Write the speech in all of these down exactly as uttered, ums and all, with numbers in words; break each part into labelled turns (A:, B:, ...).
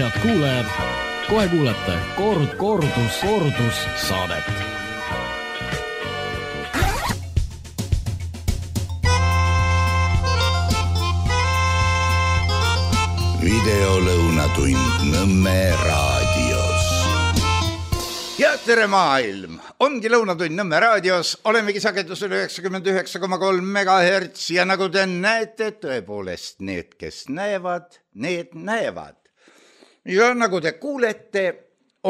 A: Head kuulajad, kohe kuulete Kord, kordus, kordus saadet.
B: Videolõunatund Nõmme raadios. Ja tere maailm! Ongi lõunatund Nõmme raadios. Olemegi sagedusel üheksakümmend üheksa koma kolm megahertz ja nagu te näete, tõepoolest need, kes näevad, need näevad. Ja nagu te kuulete,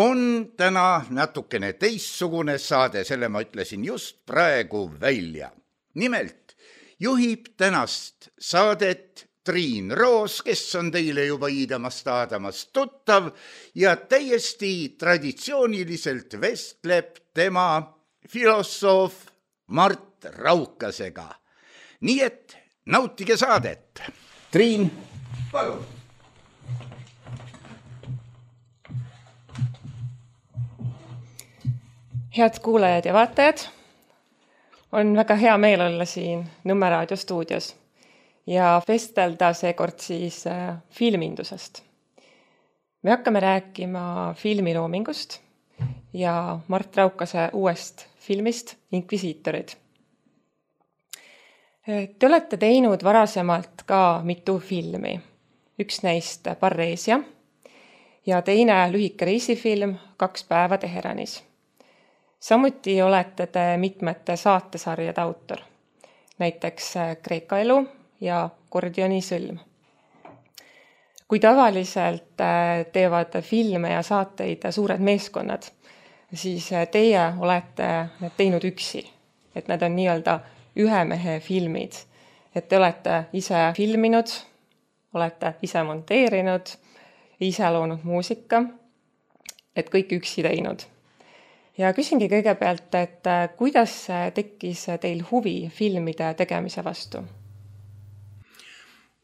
B: on täna natukene teistsugune saade, selle ma ütlesin just praegu välja. Nimelt juhib tänast saadet Triin Roos, kes on teile juba iidamast aadamast tuttav ja täiesti traditsiooniliselt vestleb tema filosoof Mart Raukasega. Nii et nautige saadet. Triin, palun.
C: Head kuulajad ja vaatajad, on väga hea meel olla siin Nõmme raadio stuudios ja vestelda seekord siis filmindusest. Me hakkame rääkima filmiloomingust ja Mart Raukase uuest filmist Inkvisiitorid. Te olete teinud varasemalt ka mitu filmi. Üks neist Parreesia ja teine lühike reisifilm Kaks päeva Teheranis. Samuti olete te mitmete saatesarjade autor, näiteks Kreeka elu ja Gordioni sõlm. Kui tavaliselt teevad filme ja saateid suured meeskonnad, siis teie olete need teinud üksi, et need on nii-öelda ühe mehe filmid, et te olete ise filminud, olete ise monteerinud, ise loonud muusika, et kõik üksi teinud. Ja küsingi kõigepealt, et kuidas tekkis teil huvi filmide tegemise vastu?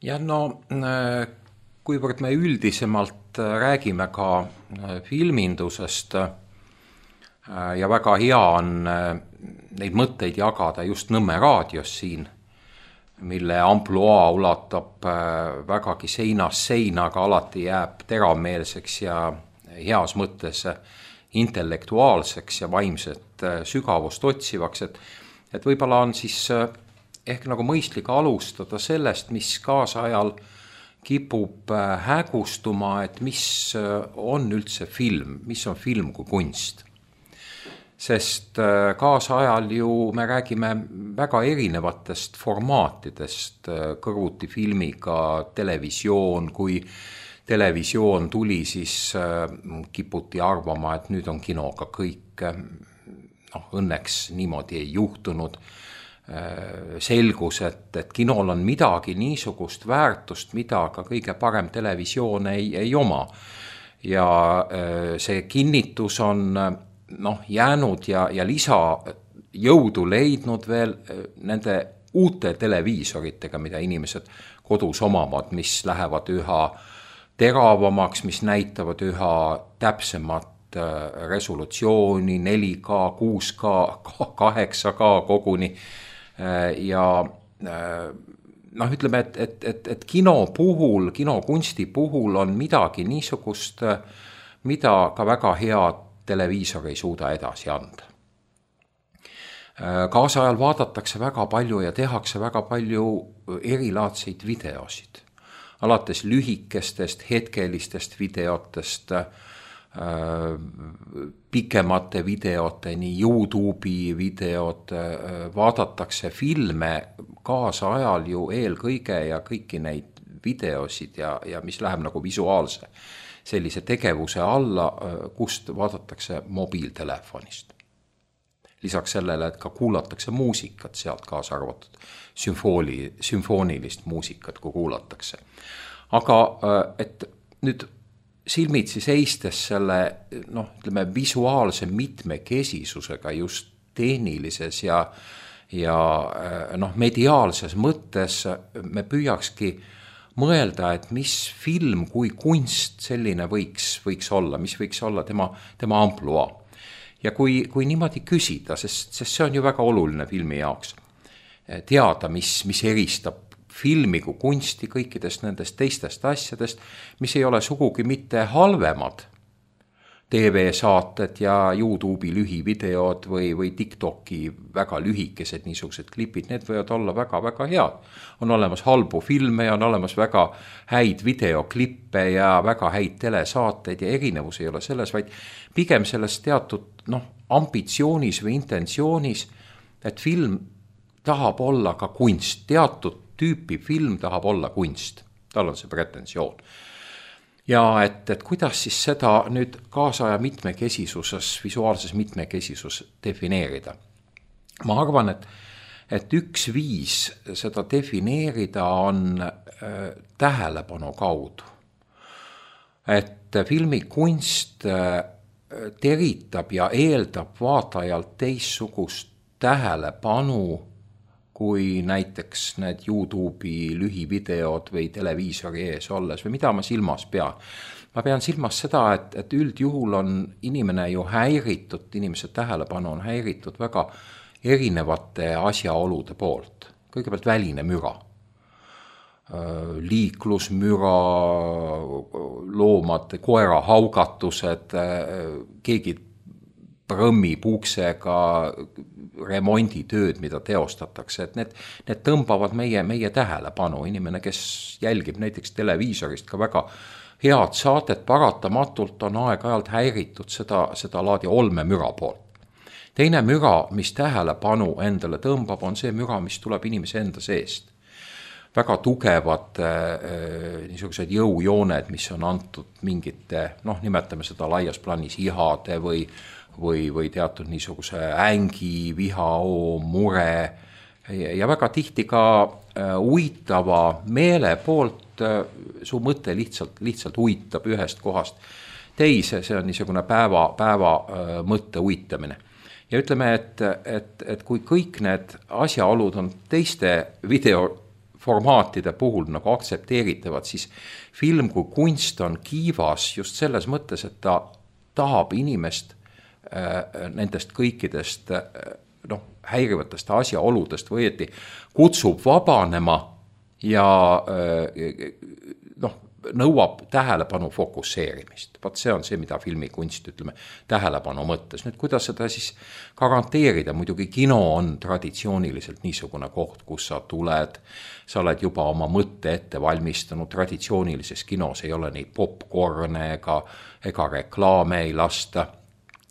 D: Ja no, kuivõrd me üldisemalt räägime ka filmindusest ja väga hea on neid mõtteid jagada just Nõmme raadios siin, mille ampluaa ulatab vägagi seinast seina, aga alati jääb teravmeelseks ja heas mõttes intellektuaalseks ja vaimset sügavust otsivaks, et, et võib-olla on siis ehk nagu mõistlik alustada sellest, mis kaasajal kipub hägustuma, et mis on üldse film, mis on film kui kunst. Sest kaasajal ju me räägime väga erinevatest formaatidest, kõrvuti filmiga, televisioon, kui televisioon tuli, siis kiputi arvama, et nüüd on kinoga kõik. No, õnneks niimoodi ei juhtunud. Selgus, et, et kinol on midagi niisugust väärtust, mida ka kõige parem televisioon ei, ei oma. Ja see kinnitus on noh, jäänud ja, ja lisa jõudu leidnud veel nende uute televiisoritega, mida inimesed kodus omavad, mis lähevad üha teravamaks, mis näitavad üha täpsemat resolutsiooni, neli K, kuus K, kaheksa K koguni. Ja noh, ütleme, et, et, et, et kino puhul, kinokunsti puhul on midagi niisugust, mida ka väga hea televiisor ei suuda edasi anda. Kaasajal vaadatakse väga palju ja tehakse väga palju erilaadseid videosid. Alates lühikestest, hetkelistest videotest, pikemate videoteni, YouTube'i videod, vaadatakse filme kaasajal ju eelkõige ja kõiki neid videosid ja, ja mis läheb nagu visuaalse sellise tegevuse alla, kust vaadatakse mobiiltelefonist. Lisaks sellele, et ka kuulatakse muusikat, sealt kaasa arvatud sümfooni, sümfoonilist muusikat, kui kuulatakse. Aga et nüüd silmitsi seistes selle noh, ütleme, visuaalse mitmekesisusega just tehnilises ja, ja noh, mediaalses mõttes me püüakski mõelda, et mis film kui kunst selline võiks, võiks olla, mis võiks olla tema, tema ampluaa. Ja kui, kui niimoodi küsida, sest, sest see on ju väga oluline filmi jaoks, teada, mis, mis eristab filmi kui kunsti kõikidest nendest teistest asjadest, mis ei ole sugugi mitte halvemad. T V-saated ja YouTube'i lühivideod või, või TikToki väga lühikesed niisugused klipid, need võivad olla väga-väga head. On olemas halbu filme ja on olemas väga häid videoklippe ja väga häid telesaateid ja erinevus ei ole selles, vaid pigem selles teatud noh, ambitsioonis või intentsioonis, et film tahab olla ka kunst, teatud tüüpi film tahab olla kunst, tal on see pretensioon. Ja et, et kuidas siis seda nüüd kaasaja mitmekesisuses, visuaalses mitmekesisus defineerida. Ma arvan, et, et üks viis seda defineerida on äh, tähelepanu kaudu. Et filmi kunst äh, teritab ja eeldab vaatajalt teissugust tähelepanu kui näiteks need YouTube'i lühivideod või televiisori ees olles või mida ma silmas pean. Ma pean silmas seda, et, et üldjuhul on inimene ju häiritud, inimese tähelepanu on häiritud väga erinevate asjaolude poolt. Kõigepealt väline müra, liiklusmüra, loomad, koera haugatused, keegi prõmmi puuksega remonditööd, mida teostatakse, et need, need tõmbavad meie, meie tähelepanu. Inimene, kes jälgib näiteks televiisorist ka väga head saadet, paratamatult on aeg-ajalt häiritud seda, seda laadi olmemüra poolt. Teine müra, mis tähelepanu endale tõmbab, on see müra, mis tuleb inimese enda seest. Väga tugevad äh, niisugused jõujooned, mis on antud mingite, noh, nimetame seda laias plaanis ihade või või, või teatud niisuguse ängi, vihao, mure ja väga tihti ka uitava meele poolt su mõte lihtsalt, lihtsalt uitab ühest kohast teise, see on niisugune päeva, päeva mõtte uitamine. Ja ütleme, et, et, et kui kõik need asjaolud on teiste videoformaatide puhul nagu aktsepteeritavad, siis film kui kunst on kiivas just selles mõttes, et ta tahab inimest nendest kõikidest noh, häirivatest asjaoludest võeti, kutsub vabanema ja noh, nõuab tähelepanu fokusseerimist. Vaat see on see, mida filmikunst, ütleme, tähelepanu mõttes. Nüüd, kuidas seda siis garanteerida? Muidugi kino on traditsiooniliselt niisugune koht, kus sa tuled, sa oled juba oma mõtte ette valmistanud, traditsioonilises kinos ei ole neid popcorne ega, ega reklaame ei lasta.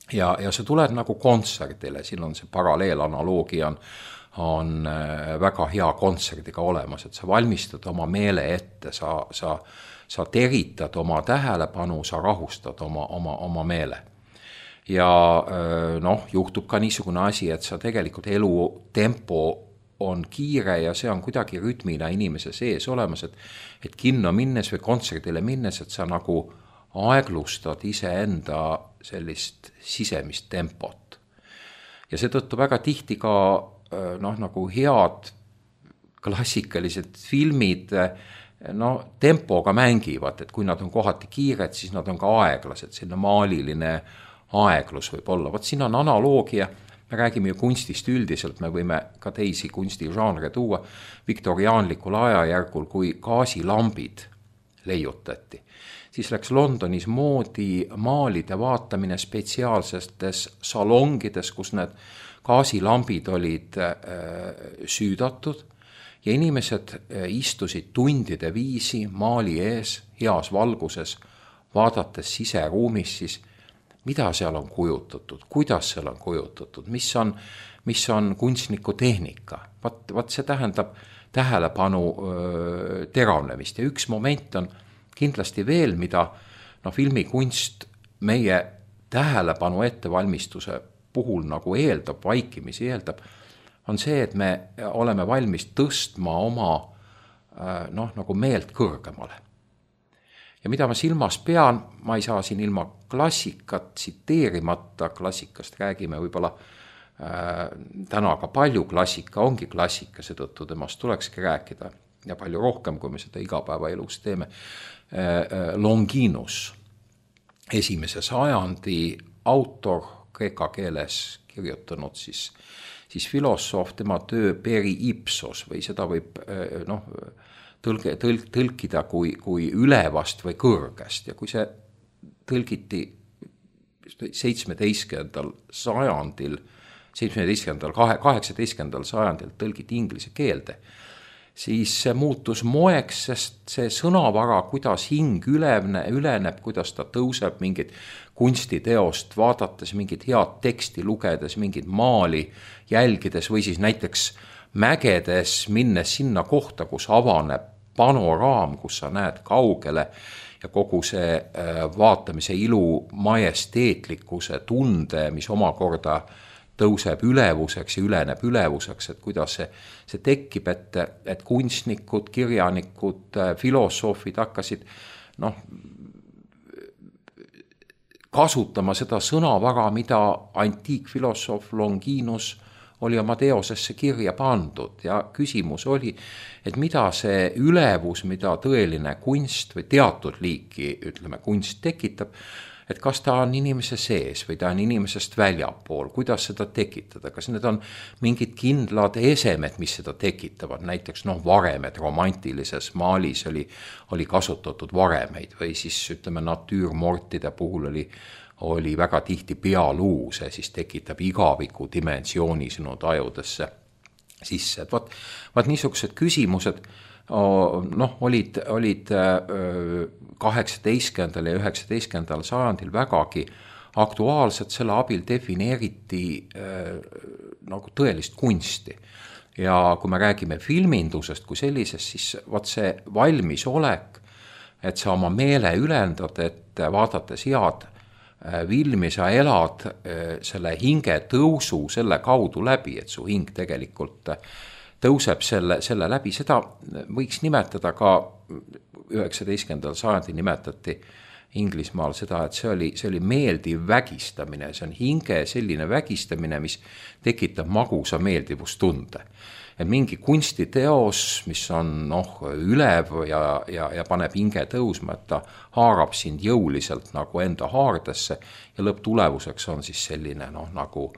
D: Ja, ja sa tuled nagu kontserdile, siin on see paralleelanaloogia on, on väga hea kontserdiga olemas, et sa valmistad oma meele ette, sa, sa, sa teritad oma tähelepanu, sa rahustad oma, oma, oma meele. Ja noh, juhtub ka niisugune asi, et sa tegelikult elu tempo on kiire ja see on kuidagi rütmina inimese sees olemas, et, et kinno minnes või kontserdile minnes, et sa nagu aeglustad iseenda sellist sisemist tempot. Ja seetõttu väga tihti ka noh, nagu head klassikalised filmid no, tempoga mängivad, et kui nad on kohati kiired, siis nad on ka aeglased, selline maaliline aeglus võib olla. Vaat siin on analoogia, me räägime ju kunstist üldiselt, me võime ka teisi kunstižanre tuua viktoriaanlikul ajajärgul, kui gaasilambid leiutati. Siis läks Londonis moodi maalide vaatamine spetsiaalsetes salongides, kus need gaasilambid olid süüdatud ja inimesed istusid tundide viisi maali ees, heas valguses, vaadates siseruumis siis, mida seal on kujutatud, kuidas seal on kujutatud, mis on, mis on kunstniku tehnika. Vat, vat see tähendab tähelepanu öö, teravnemist ja üks moment on kindlasti veel, mida no, filmikunst meie tähelepanu ettevalmistuse puhul nagu eeldab, vaikimisi eeldab, on see, et me oleme valmis tõstma oma noh, nagu meelt kõrgemale. Ja mida ma silmas pean, ma ei saa siin ilma klassikat tsiteerimata, klassikast räägime võib-olla äh, täna ka palju, klassika ongi klassika, seetõttu temast tulekski rääkida ja palju rohkem, kui me seda igapäevaelus teeme. Longinus, esimese sajandi autor, kreeka keeles kirjutanud siis siis filosoof, tema töö peri ipsos või seda võib noh, tõlge, tõlk, tõlkida kui, kui ülevast või kõrgest ja kui see tõlgiti seitsmeteistkümnendal sajandil, seitsmeteistkümnendal, kaheksateistkümnendal sajandil tõlgiti inglise keelde, siis see muutus moeks, sest see sõnavara, kuidas hing ülevne, üleneb, kuidas ta tõuseb mingit kunstiteost, vaadates mingit head teksti, lugedes mingit maali, jälgides või siis näiteks mägedes minnes sinna kohta, kus avaneb panoraam, kus sa näed kaugele ja kogu see vaatamise ilu majesteetlikkuse tunde, mis omakorda tõuseb ülevuseks ja üleneb ülevuseks, et kuidas see, see tekib, et, et kunstnikud, kirjanikud, filosoofid hakkasid noh, kasutama seda sõnavara, mida antiikfilosoof Longinus oli oma teosesse kirja pandud ja küsimus oli, et mida see ülevus, mida tõeline kunst või teatud liiki, ütleme, kunst tekitab, et kas ta on inimese sees või ta on inimesest väljapool, kuidas seda tekitada, kas need on mingid kindlad esemed, mis seda tekitavad, näiteks noh, varemed romantilises maalis oli, oli kasutatud varemeid või siis ütleme natüürmortide puhul oli, oli väga tihti pealuu, see siis tekitab igaviku dimensiooni sinu tajudesse sisse, et vaat, vaat niisugused küsimused noh, olid, olid kaheksateistkümnendal ja üheksateistkümnendal sajandil vägagi aktuaalsed, selle abil defineeriti nagu tõelist kunsti. Ja kui me räägime filmindusest kui sellisest, siis vaat see valmisolek, et sa oma meele ülendad, et vaadates head filmi, sa elad selle hinge tõusu selle kaudu läbi, et su hing tegelikult tõuseb selle, selle läbi, seda võiks nimetada ka üheksateistkümnendal sajandil nimetati Inglismaal seda, et see oli, see oli meeldiv vägistamine, see on hinge selline vägistamine, mis tekitab magusa meeldivustunde. Et mingi kunstiteos, mis on noh, ülev ja, ja, ja paneb hinge tõusma, et ta haarab sind jõuliselt nagu enda haardesse ja lõpptulevuseks on siis selline noh, nagu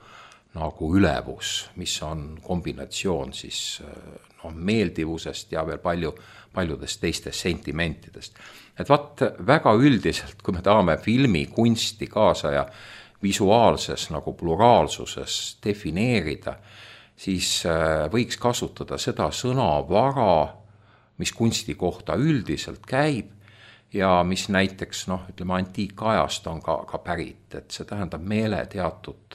D: nagu ülevus, mis on kombinatsioon siis no, meeldivusest ja veel palju, paljudest teistest sentimentidest. Et vaat väga üldiselt, kui me tahame filmi kunsti kaasa ja visuaalses nagu pluraalsuses defineerida, siis võiks kasutada seda sõnavara, mis kunsti kohta üldiselt käib, ja mis näiteks, noh, ütleme, antiikajast on ka, ka pärit, et see tähendab meele teatud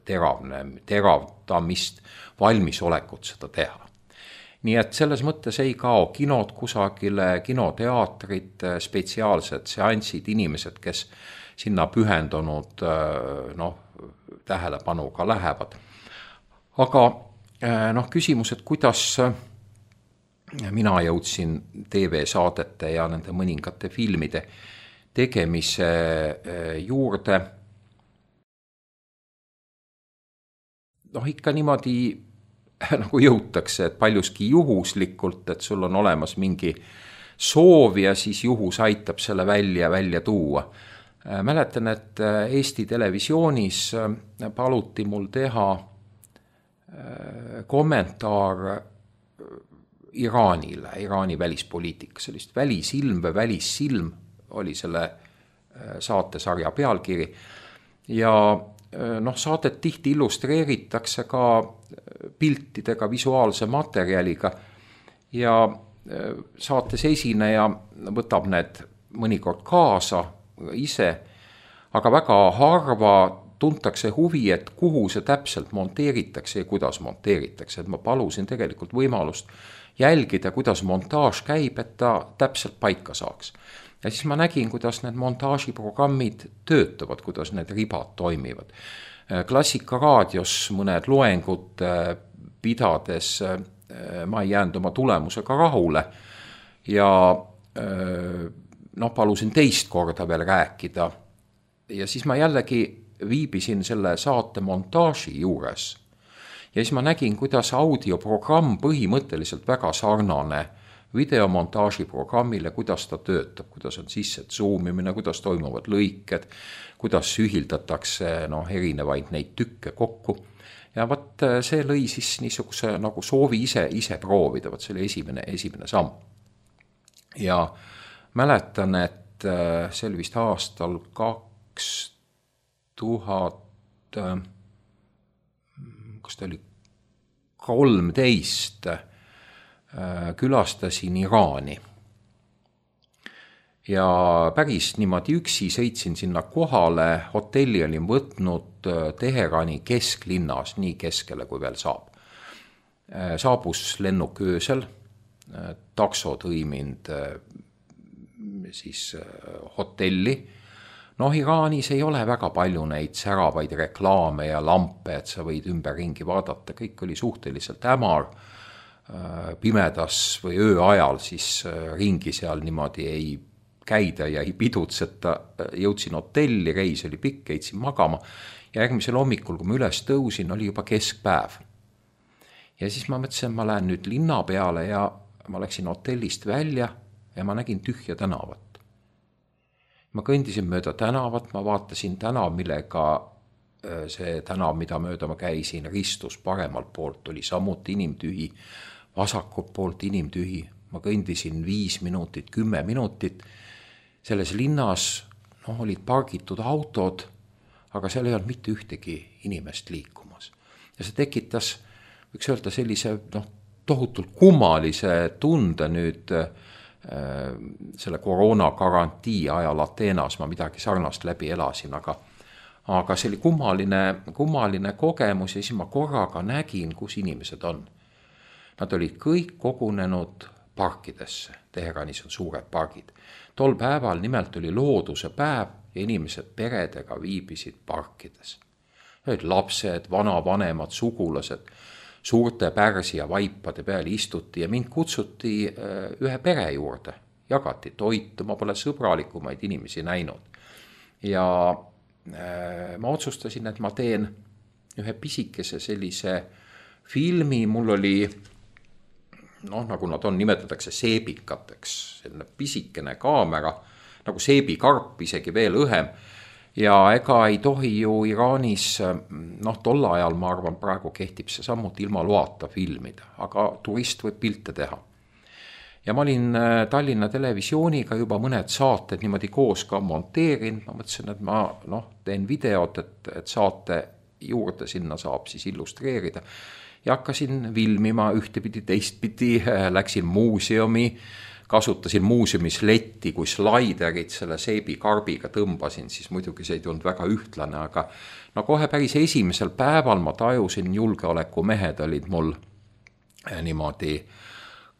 D: teravne, teravdamist, valmisolekut seda teha. Nii et selles mõttes ei kao kinod kusagile, kinoteatrid, spetsiaalsed seansid, inimesed, kes sinna pühendunud noh, tähelepanuga lähevad. Aga noh, küsimus, et kuidas mina jõudsin T V-saadete ja nende mõningate filmide tegemise juurde. Noh, ikka niimoodi nagu jõutakse, et paljuski juhuslikult, et sul on olemas mingi soov ja siis juhus aitab selle välja, välja tuua. Mäletan, et Eesti televisioonis paluti mul teha kommentaar Iraanile, Iraani välispoliitika, sellist välisilm või välissilm oli selle saatesarja pealkiri ja noh, saadet tihti illustreeritakse ka piltidega, visuaalse materjaliga ja saates esineja võtab need mõnikord kaasa ise, aga väga harva tuntakse huvi, et kuhu see täpselt monteeritakse ja kuidas monteeritakse, et ma palusin tegelikult võimalust jälgida, kuidas montaaž käib, et ta täpselt paika saaks. Ja siis ma nägin, kuidas need montaažiprogrammid töötavad, kuidas need ribad toimivad. Klassikaraadios mõned loengud pidades ma ei jäänud oma tulemusega rahule ja noh, palusin teist korda veel rääkida ja siis ma jällegi viibisin selle saate montaaži juures ja siis ma nägin, kuidas audioprogramm põhimõtteliselt väga sarnane videomontaaži programmile, kuidas ta töötab, kuidas on sisse zoomimine, kuidas toimuvad lõiked, kuidas ühildatakse noh, erinevaid neid tükke kokku. ja vot see lõi siis niisuguse nagu soovi ise, ise proovida, vot see oli esimene, esimene samm. Ja mäletan, et see oli vist aastal kaks tuhat, kas ta oli kolmteist, külastasin Iraani. Ja päris niimoodi üksi sõitsin sinna kohale, hotelli olin võtnud Teherani kesklinnas, nii keskele kui veel saab. Saabus lennuk öösel, takso tõi mind siis hotelli. Noh, Iraanis ei ole väga palju neid säravaid reklaame ja lampe, et sa võid ümber ringi vaadata, kõik oli suhteliselt hämar, pimedas või öö ajal siis ringi seal niimoodi ei käida ja ei pidutseta, jõudsin hotelli, reis oli pikk, heitsin magama ja järgmisel hommikul, kui ma üles tõusin, oli juba keskpäev. Ja siis ma mõtlesin, et ma lähen nüüd linna peale ja ma läksin hotellist välja ja ma nägin tühja tänavat. Ma kõndisin mööda tänavat, ma vaatasin tänav, millega see tänav, mida mööda ma käisin, ristus paremalt poolt, oli samuti inimtühi, vasakult poolt inimtühi. Ma kõndisin viis minutit, kümme minutit. Selles linnas no, olid pargitud autod, aga seal ei olnud mitte ühtegi inimest liikumas. Ja see tekitas, võiks öelda, sellise no, tohutult kummalise tunde nüüd äh, selle koroona garantii ajal Ateenas, ma midagi sarnast läbi elasin, aga, aga see oli kummaline, kummaline kogemus ja siis ma korraga nägin, kus inimesed on. Nad olid kõik kogunenud parkidesse, Teheranis on suured pargid. Tol päeval nimelt oli looduse päev ja inimesed peredega viibisid parkides. Olid lapsed, vanavanemad, sugulased, suurte pärsi ja vaipade peal istuti ja mind kutsuti ühe pere juurde. Jagati toitu, ma pole sõbralikumaid inimesi näinud. Ja ma otsustasin, et ma teen ühe pisikese sellise filmi, mul oli noh, nagu nad on, nimetatakse seebikateks, selline pisikene kaamera, nagu seebikarp, isegi veel õhem. Ja ega ei tohi ju Iraanis, noh, tol ajal ma arvan, praegu kehtib see samuti ilma loata filmida, aga turist võib pilte teha. Ja ma olin Tallinna Televisiooniga juba mõned saated niimoodi koos ka monteerin, ma mõtlesin, et ma noh, teen videot, et, et saate juurde sinna saab siis illustreerida. Ja hakkasin filmima ühtepidi, teistpidi, läksin muuseumi, kasutasin muuseumis letti, kui slaiderit selle seebikarbiga tõmbasin, siis muidugi see ei tulnud väga ühtlane, aga no kohe päris esimesel päeval ma tajusin, julgeolekumehed olid mul niimoodi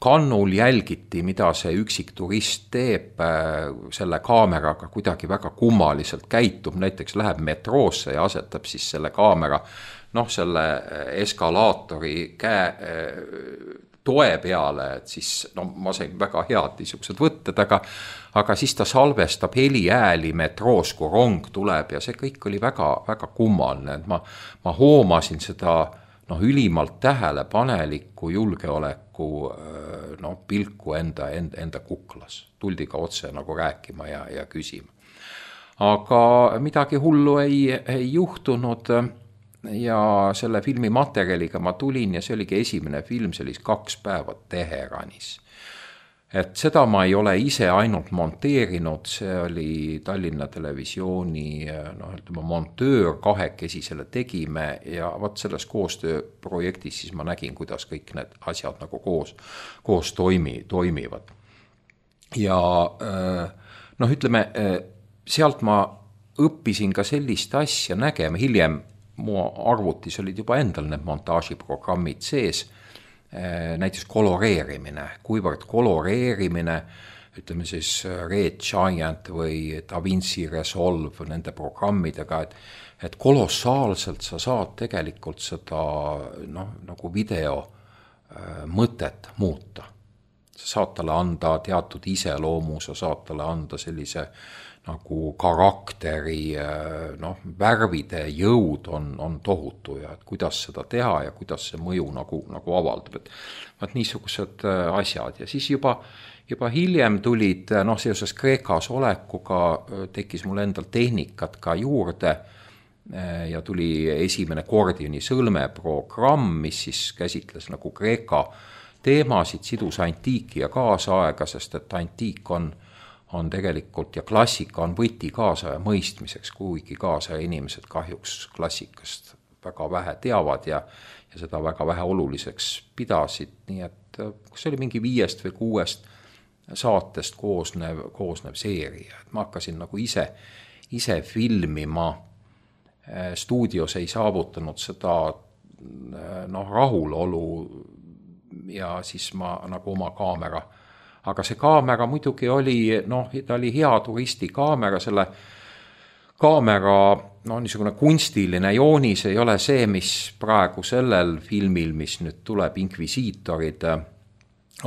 D: kannul, jälgiti, mida see üksik turist teeb selle kaameraga, kuidagi väga kummaliselt käitub, näiteks läheb metroosse ja asetab siis selle kaamera noh, selle eskalaatori käe toe peale, et siis no, ma sain väga head niisugused võtted, aga, aga siis ta salvestab heli ääli metroos, kui rong tuleb ja see kõik oli väga, väga kummaline, et ma, ma hoomasin seda no, ülimalt tähelepanelikku julgeoleku no, pilku enda, enda, enda kuklas. Tuldi ka otse nagu rääkima ja, ja küsima. Aga midagi hullu ei, ei juhtunud ja selle filmi materjaliga ma tulin ja see oligi esimene film, see oli kaks päeva Teheranis. Et seda ma ei ole ise ainult monteerinud, see oli Tallinna Televisiooni no, ütleme, montöör, kahekesi selle tegime ja võt selles koostööprojektis siis ma nägin, kuidas kõik need asjad nagu koos, koos toimi, toimivad. Ja noh, ütleme, sealt ma õppisin ka sellist asja nägema, hiljem mu arvutis olid juba endal need montaažiprogrammid sees, näiteks koloreerimine, kuivõrd koloreerimine, ütleme siis Red Giant või DaVinci Resolve nende programmidega, et, et kolossaalselt sa saad tegelikult seda noh, nagu video mõtet muuta. Sa saad talle anda teatud iseloomu, sa saad talle anda sellise nagu karakteri, noh, värvide jõud on, on tohutu ja et kuidas seda teha ja kuidas see mõju nagu, nagu avaldab. Et vaat niisugused asjad ja siis juba, juba hiljem tulid, noh, seoses Kreekas olekuga tekkis mul endal tehnikat ka juurde ja tuli esimene Gordioni sõlme programm, mis siis käsitles nagu Kreeka teemasid, sidus antiiki ja kaasaega, sest et antiik on, on tegelikult ja klassika on võti kaasaja mõistmiseks, kuigi kaasaja inimesed kahjuks klassikast väga vähe teavad ja, ja seda väga vähe oluliseks pidasid, nii et kas oli mingi viiest või kuuest saatest koosnev, koosnev seeria, et ma hakkasin nagu ise, ise filmima, stuudios ei saavutanud seda noh, rahulolu ja siis ma nagu oma kaamera, aga see kaamera muidugi oli, noh, ta oli hea turistikaamera, selle kaamera, no niisugune kunstiline joonis ei ole see, mis praegu sellel filmil, mis nüüd tuleb, Inkvisiitorid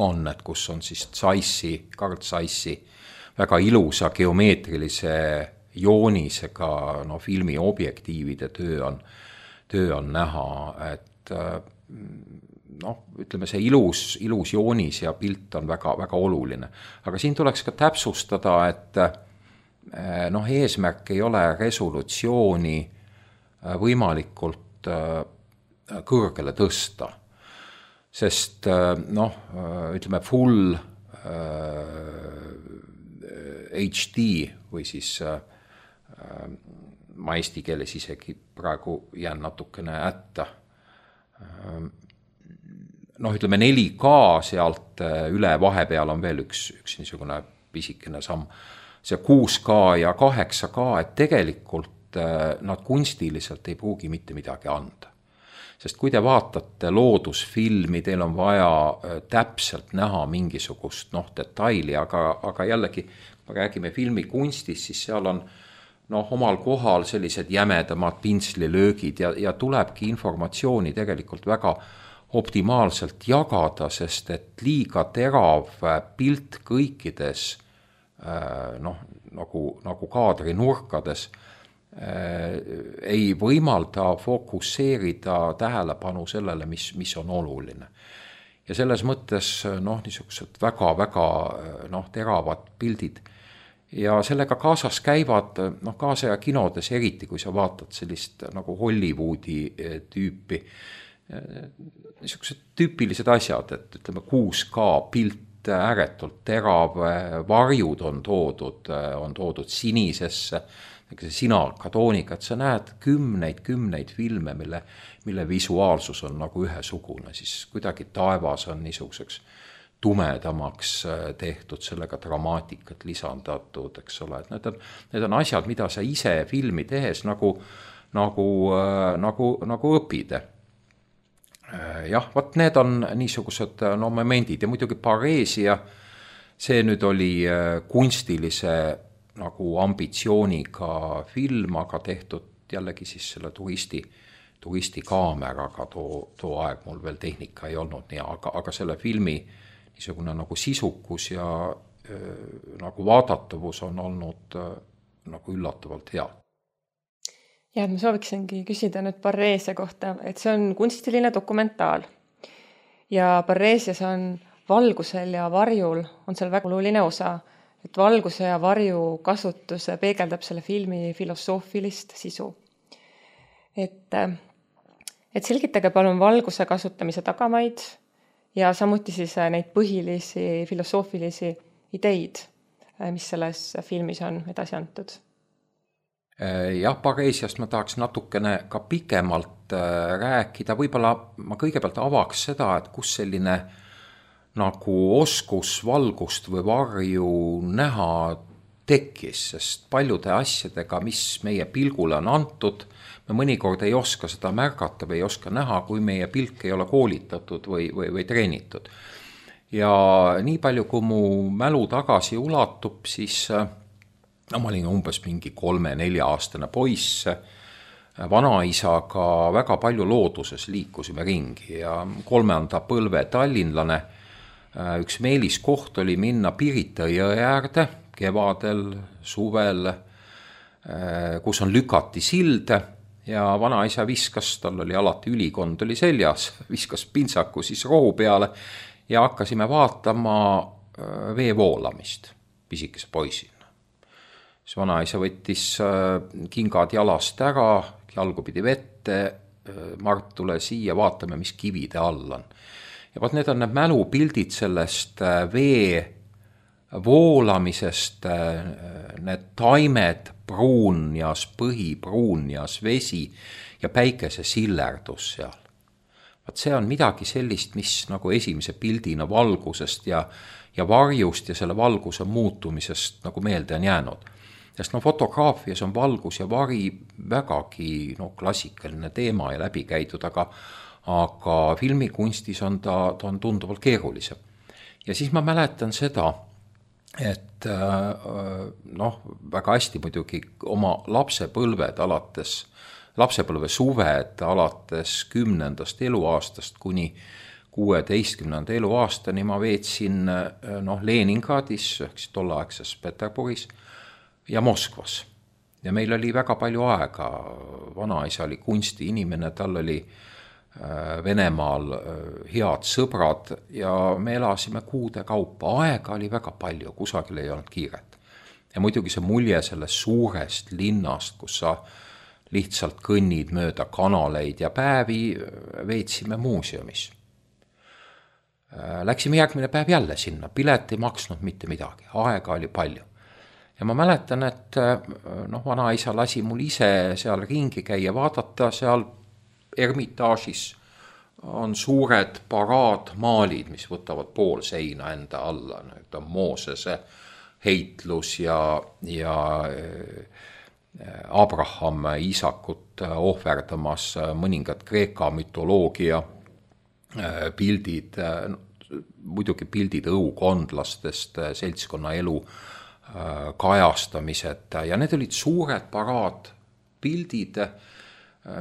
D: on, et kus on siis Zeissi, Carl Zeissi väga ilusa geomeetrilise joonisega, no filmi objektiivide töö on, töö on näha, et noh, ütleme see ilus, ilus joonis ja pilt on väga, väga oluline. Aga siin tuleks ka täpsustada, et noh, eesmärk ei ole resolutsiooni võimalikult kõrgele tõsta, sest noh, ütleme full H D või siis ma eesti keeles isegi praegu jään natukene ätta. Noh, ütleme neli K sealt üle vahepeal on veel üks, üks niisugune pisikene samm. See kuus K ja kaheksa K, et tegelikult nad kunstiliselt ei pruugi mitte midagi anda. Sest kui te vaatate loodusfilmi, teil on vaja täpselt näha mingisugust noh, detaili, aga, aga jällegi, kui räägime filmi kunstist, siis seal on noh, omal kohal sellised jämedamad pintslilöögid ja, ja tulebki informatsiooni tegelikult väga optimaalselt jagada, sest et liiga terav pilt kõikides noh, nagu, nagu kaadri nurkades ei võimalda fokusseerida tähelepanu sellele, mis, mis on oluline. Ja selles mõttes noh, niisugused väga, väga noh, teravad pildid. Ja sellega kaasas käivad noh, kaasaja kinodes eriti, kui sa vaatad sellist nagu Hollywoodi tüüpi, niisugused tüüpilised asjad, et ütleme kuus K pilt ääretult terav, varjud on toodud, on toodud sinisesse, sinalkatoonika, et sa näed kümneid, kümneid filme, mille, mille visuaalsus on nagu ühesugune, siis kuidagi taevas on niisuguseks tumedamaks tehtud, sellega dramaatikat lisandatud, eks ole, et need on, need on asjad, mida sa ise filmi tehes nagu, nagu, nagu, nagu õpid. Jah, võt need on niisugused no, momendid ja muidugi Pareesia, see nüüd oli kunstilise nagu ambitsiooniga film, aga tehtud jällegi siis selle turisti, turisti kaameraga, too, too aeg mul veel tehnika ei olnud nii, aga, aga selle filmi niisugune nagu sisukus ja äh, nagu vaadatavus on olnud äh, nagu üllatavalt hea.
C: Ja, ma sooviksingi küsida nüüd Pareesia kohta, et see on kunstiline dokumentaal. Ja Pareesias on valgusel ja varjul on seal väga oluline osa, et valguse ja varju kasutus peegeldab selle filmi filosoofilist sisu. Et, et selgitage palun valguse kasutamise tagamaid ja samuti siis neid põhilisi filosoofilisi ideid, mis selles filmis on edasi antud.
D: Jah, Pareesiast ma tahaks natukene ka pikemalt rääkida. Võib-olla ma kõigepealt avaks seda, et kus selline nagu oskus valgust või varju näha tekkis, sest paljude asjadega, mis meie pilgule on antud, me mõnikord ei oska seda märgata või ei oska näha, kui meie pilk ei ole koolitatud või, või, või treenitud. Ja nii palju, kui mu mälu tagasi ulatub, siis no, ma olin umbes mingi kolme-nelja aastane poiss, vanaisaga väga palju looduses liikusime ringi ja kolmanda põlve tallinlane. Üks meeliskoht oli minna Pirita jõe äärde kevadel, suvel, kus on lükati silde ja vanaisa viskas, tal oli alati ülikond oli seljas, viskas pintsaku siis rohu peale ja hakkasime vaatama vee voolamist pisikese poisina. siis vanaisa võttis kingad jalast ära, jalgu pidi vette, Mart, tule siia, vaatame, mis kivide all on. Ja vaat need on need mälupildid sellest vee voolamisest, need taimed, pruunjas, põhi, pruunjas, vesi ja päikese sillerdus seal. Vaat see on midagi sellist, mis nagu esimese pildina valgusest ja, ja varjust ja selle valguse muutumisest nagu meelde on jäänud. Sest no fotograafias on valgus ja vari vägagi no, klassikaline teema ja läbi käidud, aga, aga filmikunstis on ta, ta on tunduvalt keerulisem. Ja siis ma mäletan seda, et noh, väga hästi muidugi oma lapsepõlved alates, lapsepõlve suved alates kümnendast eluaastast kuni kuueteistkümnenda eluaastani ma veetsin noh, Leningradis, ehk tolleaegses Peterburis ja Moskvas. Ja meil oli väga palju aega, vanaisa oli kunsti inimene, tal oli Venemaal head sõbrad ja me elasime kuude kaupa, aega oli väga palju, kusagil ei olnud kiiret. Ja muidugi see mulje sellest suurest linnast, kus sa lihtsalt kõnnid mööda kanaleid ja päevi veetsime muuseumis. Läksime järgmine päev jälle sinna, pilet ei maksnud mitte midagi, aega oli palju. Ja ma mäletan, et noh, vanaisa lasi mul ise seal ringi käia, vaadata seal Ermitaažis on suured paraadmaalid, mis võtavad pool seina enda alla. Need on Moosese heitlus ja, ja Abraham Iisakut ohverdamas, mõningad Kreeka mütoloogia pildid, muidugi pildid õukondlastest, seltskonna elu kajastamised ja need olid suured paraadpildid,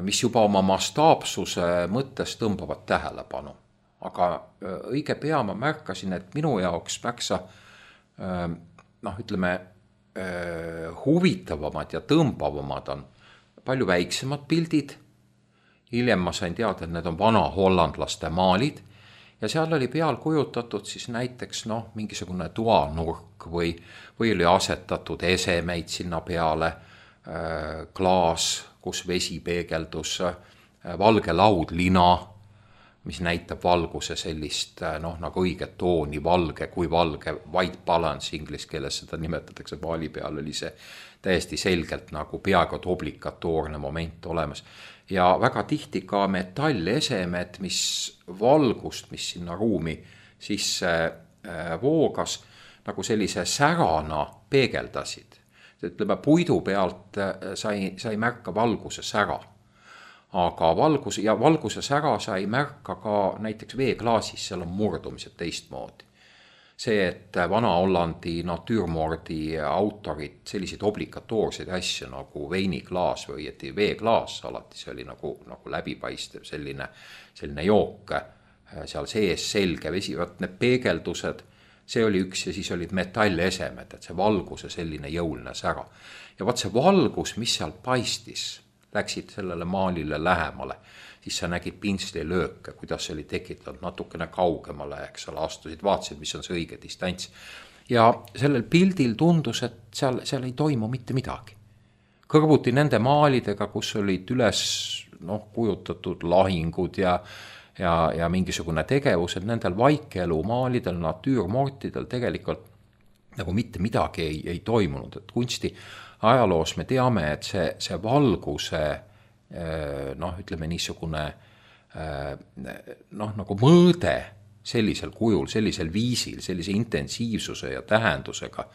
D: mis juba oma mastaapsuse mõttes tõmbavad tähelepanu. Aga õige pea ma märkasin, et minu jaoks märksa noh, ütleme, huvitavamad ja tõmbavamad on palju väiksemad pildid. Hiljem ma sain teada, et need on vana hollandlaste maalid ja seal oli peal kujutatud siis näiteks noh, mingisugune toanurk või, või oli asetatud esemeid sinna peale, klaas, kus vesi peegeldus, valge laud, lina, mis näitab valguse sellist noh, nagu õiget tooni, valge kui valge, white balance inglis keeles seda nimetatakse, maali peal oli see täiesti selgelt nagu peaaegu obligatoorne moment olemas. Ja väga tihti ka metallesemed, mis valgust, mis sinna ruumi sisse voogas, nagu sellise särana peegeldasid. Ütleme, puidu pealt sai, sai märka valguse sära. Aga valgus, ja valguse sära sai märka ka näiteks veeklaasis, seal on murdumised teistmoodi. See, et Vana-Hollandi natüürmoordi autorid selliseid obligatoorseid asju nagu veiniklaas või et veeklaas, alati see oli nagu, nagu läbipaistev selline, selline jook, seal sees selge vesi, vaat need peegeldused, see oli üks ja siis olid metallesemed, et see valguse selline jõuline sära. Ja vaat see valgus, mis seal paistis, läksid sellele maalile lähemale, siis sa nägid pintsli lööke, kuidas see oli tekitatud natukene kaugemale, eks ole, astusid, vaatasid, mis on see õige distants. Ja sellel pildil tundus, et seal, seal ei toimu mitte midagi. Kõrvuti nende maalidega, kus olid üles noh, kujutatud lahingud ja, ja, ja mingisugune tegevus, et nendel vaikelu maalidel, natüürmortidel tegelikult nagu mitte midagi ei, ei toimunud. Et kunsti ajaloos me teame, et see, see valguse noh, ütleme niisugune noh, nagu mõõde sellisel kujul, sellisel viisil, sellise intensiivsuse ja tähendusega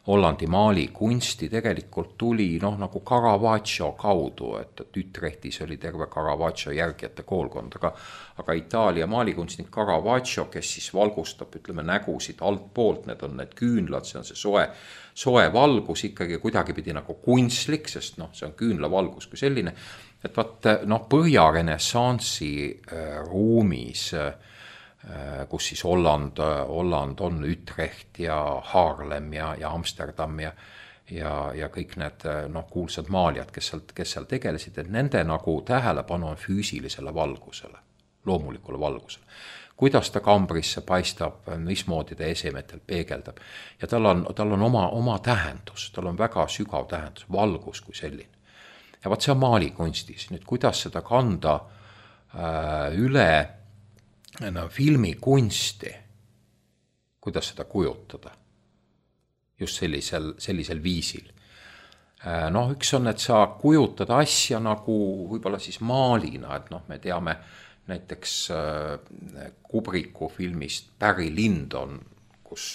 D: Hollandi maali kunsti tegelikult tuli noh, nagu Caravaggio kaudu, et, et Utrechtis oli terve Caravaggio järgjate koolkond, aga, aga Itaalia maalikunstnik Caravaggio, kes siis valgustab, ütleme, nägusid alt poolt, need on need küünlad, see on see soe, soe valgus ikkagi kuidagi pidi nagu kunstlik, sest noh, see on küünla valgus kui selline, et vaat noh, Põhja-Renessansi äh, ruumis äh, kus siis Holland, Holland on Utrecht ja Haarlem ja, ja Amsterdam ja, ja, ja kõik need noh, kuulsad maalijad, kes seal, kes seal tegelesid, et nende nagu tähelepanu on füüsilisele valgusele, loomulikule valgusele. kuidas ta kambrisse paistab, mismoodi ta esemetel peegeldab. Ja tal on, tal on oma, oma tähendus, tal on väga sügav tähendus, valgus kui selline. Ja vaat see on maalikunstis. Nüüd kuidas seda kanda äh, üle no, filmikunsti, kuidas seda kujutada just sellisel, sellisel viisil. Äh, noh, üks on, et sa kujutad asja nagu võib-olla siis maalina, et noh, me teame näiteks äh, Kubriku filmist Barry Lyndon, kus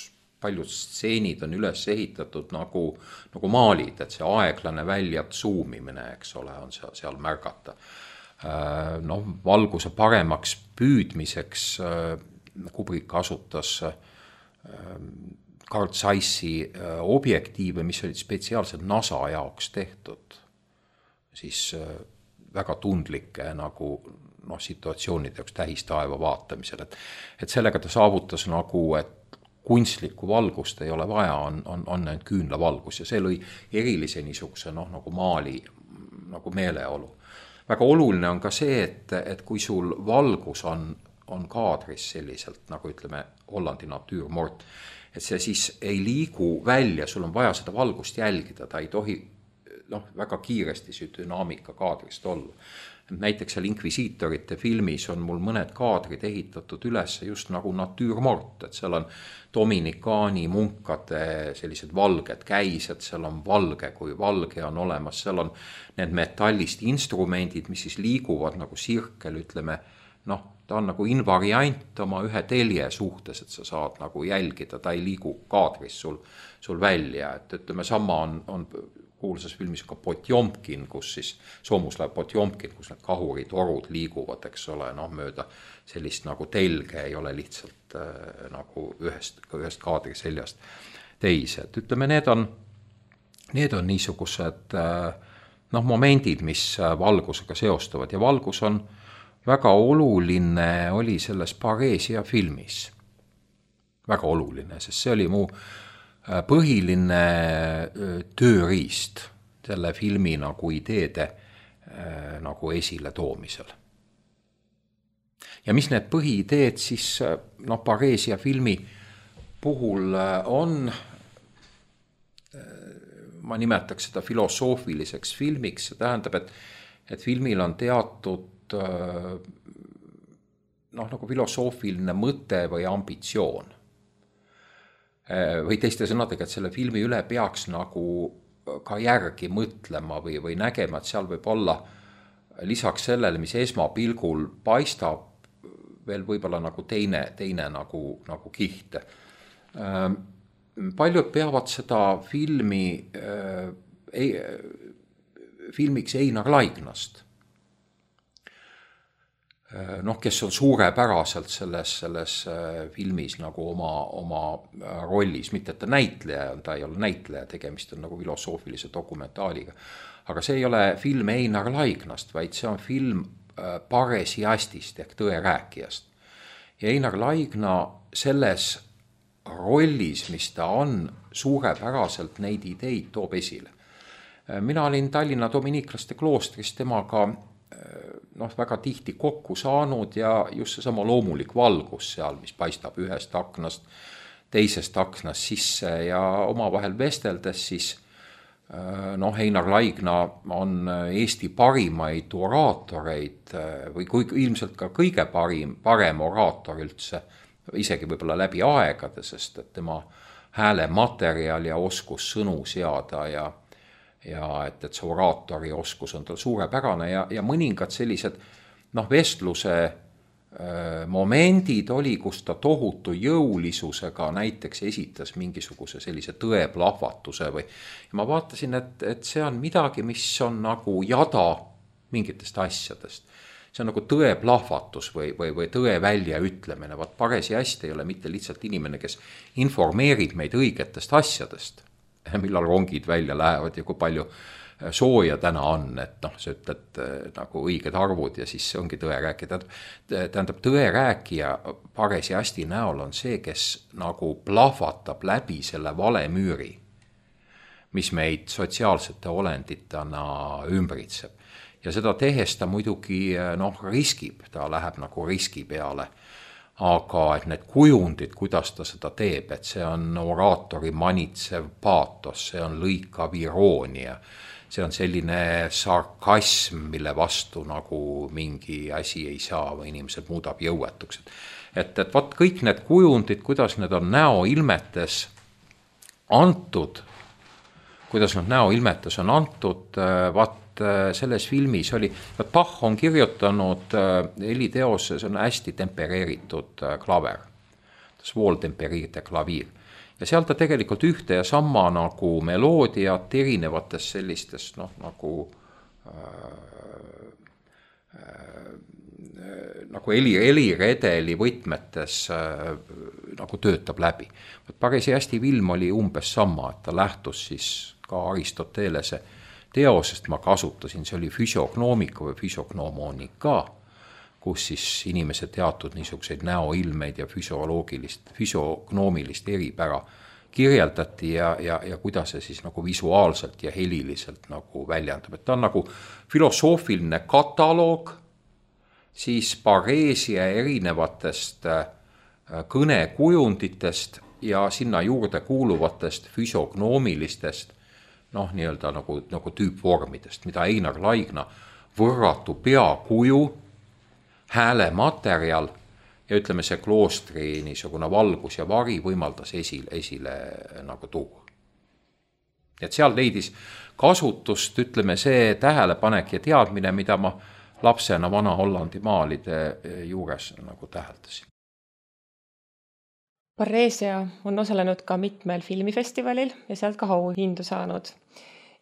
D: paljud stseenid on üles ehitatud nagu, nagu maalid, et see aeglane väljad zoomimine, eks ole, on seal, seal märgata. Äh, noh, valguse paremaks püüdmiseks äh, Kubrick kasutas äh, Carl Zeissi äh, objektiive, mis olid spetsiaalselt NASA jaoks tehtud, siis äh, väga tundlike nagu noh, situatsioonide jaoks tähistaeva vaatamisel, et, et sellega ta saavutas nagu, et kunstlikku valgust ei ole vaja, on, on, on ainult küünlavalgus ja see lõi erilise niisuguse noh, nagu maali nagu meeleolu. Väga oluline on ka see, et, et kui sul valgus on, on kaadris selliselt, nagu ütleme Hollandi natuurmort, et see siis ei liigu välja, sul on vaja seda valgust jälgida, ta ei tohi noh, väga kiiresti see dünaamika kaadrist olla. Näiteks seal Inquisitorite filmis on mul mõned kaadrid ehitatud üles just nagu natuurmort, et seal on Dominikaani munkade sellised valged käised, seal on valge, kui valge on olemas, seal on need metallist instrumendid, mis siis liiguvad nagu sirkel, ütleme, noh, ta on nagu invariant oma ühe telje suhtes, et sa saad nagu jälgida, ta ei liigu kaadris sul, sul välja, et ütleme, sama on, on kuulsas filmis ka Potjomkin, kus siis Soomuslaev Potjomkin, kus need kahuritorud liiguvad, eks ole, noh, mööda sellist nagu telge ei ole lihtsalt äh, nagu ühest, ühest kaadri seljast teise. Et ütleme, need on, need on niisugused äh, noh, momendid, mis valgusega seostuvad ja valgus on väga oluline oli selles Paresia filmis. Väga oluline, sest see oli mu põhiline tööriist selle filmi nagu ideede nagu esile toomisel. Ja mis need põhiideed siis noh, Paresia filmi puhul on, ma nimetaks seda filosoofiliseks filmiks, see tähendab, et, et filmil on teatud noh, nagu filosoofiline mõte või ambitsioon. Või teiste sõnadega, et selle filmi üle peaks nagu ka järgi mõtlema või, või nägema, et seal võib olla lisaks sellele, mis esmapilgul paistab, veel võib-olla nagu teine, teine nagu, nagu kiht. Paljud peavad seda filmi ei, filmiks Einar Laignast. Noh, kes on suurepäraselt selles, selles filmis nagu oma, oma rollis, mitte et ta näitleja, ta ei ole näitleja, tegemist on nagu filosoofilise dokumentaaliga. Aga see ei ole film Einar Laignast, vaid see on film paresiastist ehk tõerääkijast. Ja Einar Laigna selles rollis, mis ta on, suurepäraselt neid ideid toob esile. Mina olin Tallinna dominiiklaste kloostris temaga noh, väga tihti kokku saanud ja just seesama loomulik valgus seal, mis paistab ühest aknast, teisest aknast sisse ja omavahel vesteldes siis noh, Einar Laigna on Eesti parimaid oraatoreid või kui, ilmselt ka kõige parim, parem oraator üldse, isegi võib-olla läbi aegade, sest et tema hääle materjal ja oskus sõnu seada ja ja et, et see oraatori oskus on tal suurepärane ja, ja mõningad sellised noh, vestluse äh, momendid oli, kus ta tohutu jõulisusega näiteks esitas mingisuguse sellise tõeplahvatuse või ja ma vaatasin, et, et see on midagi, mis on nagu jada mingitest asjadest. See on nagu tõeplahvatus või, või, või tõe väljaütlemine. Vaat paresiast ei ole mitte lihtsalt inimene, kes informeerib meid õigetest asjadest, millal rongid välja lähevad ja kui palju sooja täna on, et noh, sa ütled nagu õiged arvud ja siis see ongi tõerääkija. Tähendab, tõerääkija paresiasti näol on see, kes nagu plahvatab läbi selle valemüüri, mis meid sotsiaalsete olenditena ümbritseb. Ja seda tehes ta muidugi noh, riskib, ta läheb nagu riski peale. aga et need kujundid, kuidas ta seda teeb, et see on oraatori manitsev paatos, see on lõikav iroonia, see on selline sarkasm, mille vastu nagu mingi asi ei saa või inimesed muudab jõuetuks. Et, et vaat kõik need kujundid, kuidas need on näoilmetes antud, kuidas nad näoilmetes on antud, vaat selles filmis oli, Bach on kirjutanud heliteose, see on hästi tempereeritud klaver, svool tempereerite klaviir. Ja seal ta tegelikult ühte ja sama nagu meloodiat erinevates sellistes, noh, nagu äh, äh, nagu heli, heliredeli võtmetes äh, nagu töötab läbi. Parisi hästi film oli umbes sama, et ta lähtus siis ka Aristotelese teosest, ma kasutasin, see oli füsiognoomika või füsiognomoonika, kus siis inimese teatud niisuguseid näoilmeid ja füsioloogilist, füsiognoomilist eripära kirjeldati ja, ja, ja kuidas see siis nagu visuaalselt ja heliliselt nagu väljendab. Et ta on nagu filosoofiline kataloog, siis pareesia erinevatest kõnekujunditest ja sinna juurde kuuluvatest füsiognoomilistest noh, nii-öelda nagu, nagu tüüpvormidest, mida Einar Laigna võrratu peakuju, häälematerjal ja ütleme see kloostri niisugune valgus ja vari võimaldas esile, esile nagu tuua. Et seal leidis kasutust, ütleme see tähelepanek ja teadmine, mida ma lapsena Vana-Hollandi maalide juures nagu täheldasin.
C: Pareesia on osalenud ka mitmel filmifestivalil ja sealt ka auhindu saanud.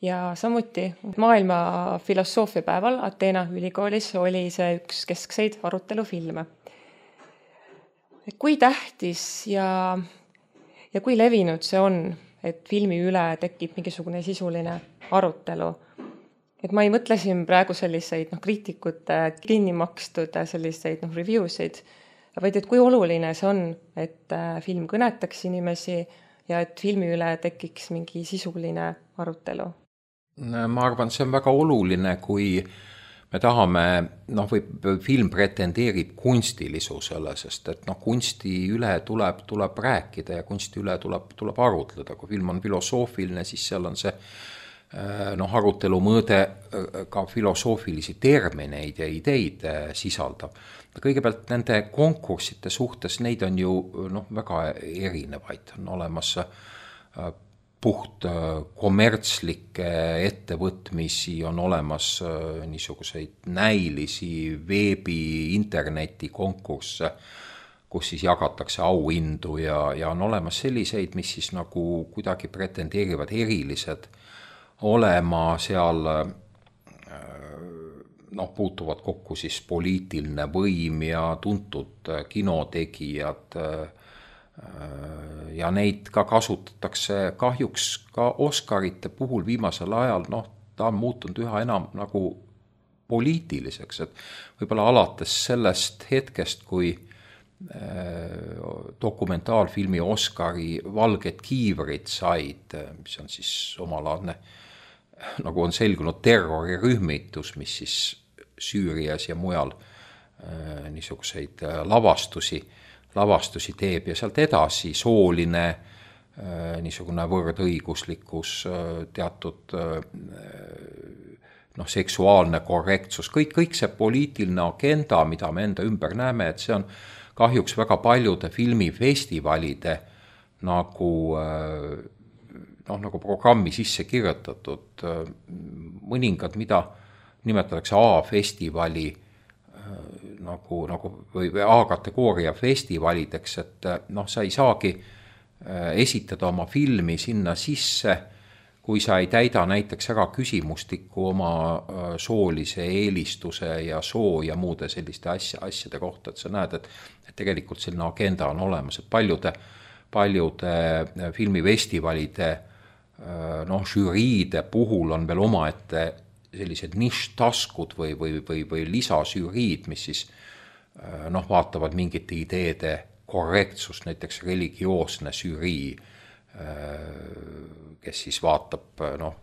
C: Ja samuti maailma filosoofiapäeval Ateena ülikoolis oli see üks keskseid arutelufilme. Kui tähtis ja, ja kui levinud see on, et filmi üle tekib mingisugune sisuline arutelu? Et ma ei mõtle siin praegu selliseid no, kriitikute kinni makstud selliseid no, reviewsid, vaid et kui oluline see on, et film kõnetaks inimesi ja et filmi üle tekiks mingi sisuline arutelu?
D: Ma arvan, see on väga oluline, kui me tahame, noh, või film pretendeerib kunstilisusele, sest et noh, kunsti üle tuleb, tuleb rääkida ja kunsti üle tuleb, tuleb arutleda. Kui film on filosoofiline, siis seal on see noh, arutelu mõõde ka filosoofilisi termineid ja ideid sisaldab. Kõigepealt nende konkurssite suhtes, neid on ju noh, väga erinevaid. On olemas puht kommertslikke ettevõtmisi, on olemas niisuguseid näilisi veebi, interneti konkursse, kus siis jagatakse auhindu ja, ja on olemas selliseid, mis siis nagu kuidagi pretendeerivad erilised olema seal, noh, puutuvad kokku siis poliitiline võim ja tuntud kinotegijad ja neid ka kasutatakse kahjuks ka Oscarite puhul viimasel ajal, noh, ta on muutunud üha enam nagu poliitiliseks, et võib-olla alates sellest hetkest, kui dokumentaalfilmi Oscari Valged kiivrid said, mis on siis omalaadne, nagu on selgunud terrorirühmitus, mis siis Süürias ja mujal niisuguseid lavastusi, lavastusi teeb ja sealt edasi sooline niisugune võrdõiguslikkus, teatud noh, seksuaalne korrektsus, kõik, kõik see poliitiline agenda, mida me enda ümber näeme, et see on kahjuks väga paljude filmifestivalide nagu, noh, nagu programmi sisse kirjutatud, mõningad, mida nimetatakse A-festivali nagu, nagu või A-kategooria festivalideks, et noh, sa ei saagi esitada oma filmi sinna sisse, kui sa ei täida näiteks ära küsimustikku oma soolise eelistuse ja soo ja muude selliste asja, asjade kohta, et sa näed, et, et tegelikult selline agenda on olemas, et paljude, paljude filmifestivalide noh, žüriide puhul on veel omaette sellised ništaskud või, või, või, või lisasüriid, mis siis noh, vaatavad mingite ideede korrektsust, näiteks religioosne žürii, kes siis vaatab, noh,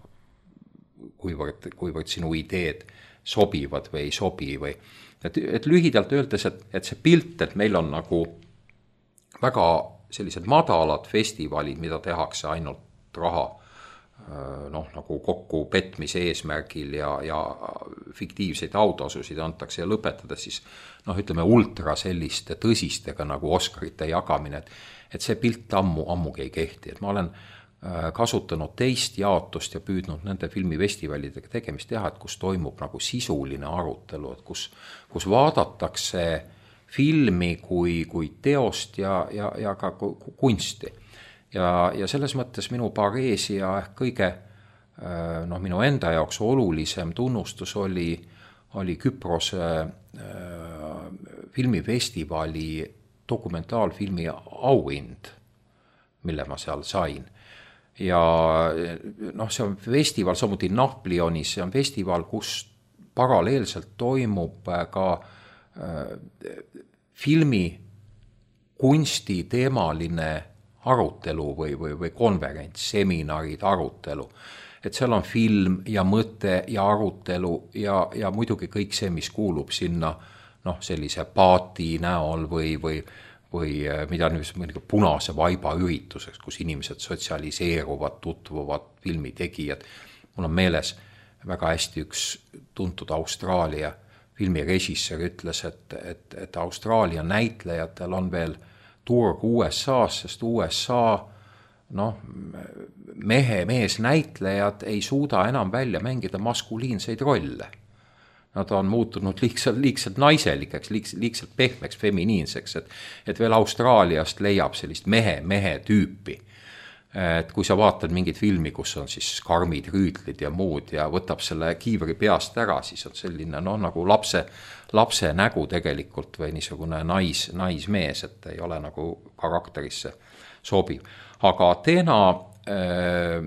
D: kuivõrd, kuivõrd sinu ideed sobivad või ei sobi või et, et lühidalt öeldes, et, et see pilt, et meil on nagu väga sellised madalad festivalid, mida tehakse ainult raha noh, nagu kokku petmise eesmärgil ja, ja fiktiivseid autasusid antakse ja lõpetades siis noh, ütleme ultra selliste tõsistega nagu Oscarite jagamine, et, et see pilt ammu, ammugi ei kehti, et ma olen kasutanud teist jaotust ja püüdnud nende filmifestivalidega tegemist teha, et kus toimub nagu sisuline arutelu, et kus, kus vaadatakse filmi kui, kui teost ja, ja, ja ka kunsti. Ja, ja selles mõttes minu Pareesia ehk kõige noh, minu enda jaoks olulisem tunnustus oli, oli Küprose äh, filmifestivali dokumentaalfilmi auhind, mille ma seal sain. Ja noh, see on festival, samuti Naplionis, see on festival, kus paralleelselt toimub ka äh, filmi kunsti teemaline arutelu või, või, või konverents, seminarid, arutelu. Et seal on film ja mõte ja arutelu ja, ja muidugi kõik see, mis kuulub sinna noh, sellise paati näol või, või, või mida nüüd punase vaiba ürituseks, kus inimesed sotsialiseeruvad, tutvuvad filmitegijad. Mul on meeles väga hästi üks tuntud Austraalia filmirežissöör ütles, et, et, et Austraalia näitlejatel on veel turg U S A-s, sest U S A noh, mehe, mees näitlejad ei suuda enam välja mängida maskuliinseid rolle. Nad on muutunud liigselt, liigselt naiselikeks, liigselt, liigselt pehmeks, feminiinseks, et, et veel Austraaliast leiab sellist mehe, mehe tüüpi. Et kui sa vaatad mingit filmi, kus on siis karmid rüütlid ja muud ja võtab selle kiivri peast ära, siis on selline noh, nagu lapse, lapse nägu tegelikult või niisugune nais, naismees, et ei ole nagu karakterisse sobiv. Aga Ateena, äh,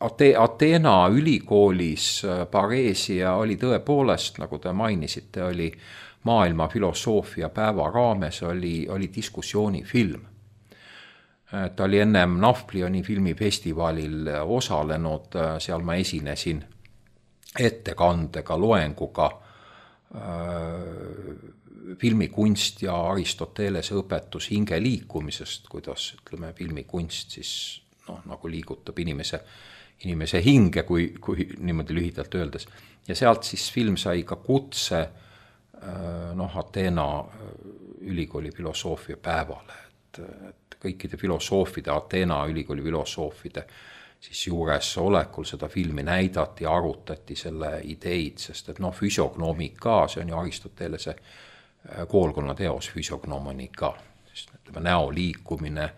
D: Ate, Ateena ülikoolis Pareesia oli tõepoolest, nagu te mainisite, oli maailma filosoofia päeva raames, oli, oli diskussioonifilm. Ta oli ennem Napoleoni filmifestivalil osalenud, seal ma esinesin ettekandega, loenguga äh, filmikunst ja Aristotelese õpetus hinge liikumisest, kuidas ütleme, filmikunst siis noh, nagu liigutab inimese, inimese hinge, kui, kui niimoodi lühidalt öeldes. Ja sealt siis film sai ka kutse äh, noh, Ateena ülikooli filosoofia päevale, et, et kõikide filosoofide, Ateena ülikooli filosoofide siis juures olekul seda filmi näidati ja arutati selle ideid, sest et noh, füsiognomika, see on ju Aristotelese koolkonna teos füsiognomonika, sest ütleme, näo liikumine,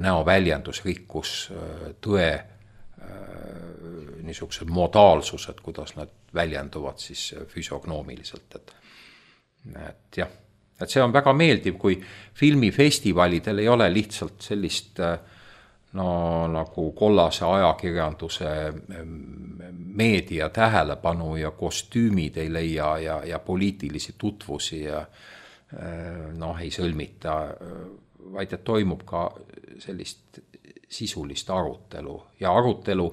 D: näo väljendusrikkus, tõe niisugused modaalsused, kuidas nad väljenduvad siis füsiognoomiliselt, et, et jah. Et see on väga meeldiv, kui filmifestivalidel ei ole lihtsalt sellist no, nagu kollase ajakirjanduse meedia tähelepanu ja kostüümid ei leia ja, ja poliitilisi tutvusi ja noh, ei sõlmita, vaid et toimub ka sellist sisulist arutelu ja arutelu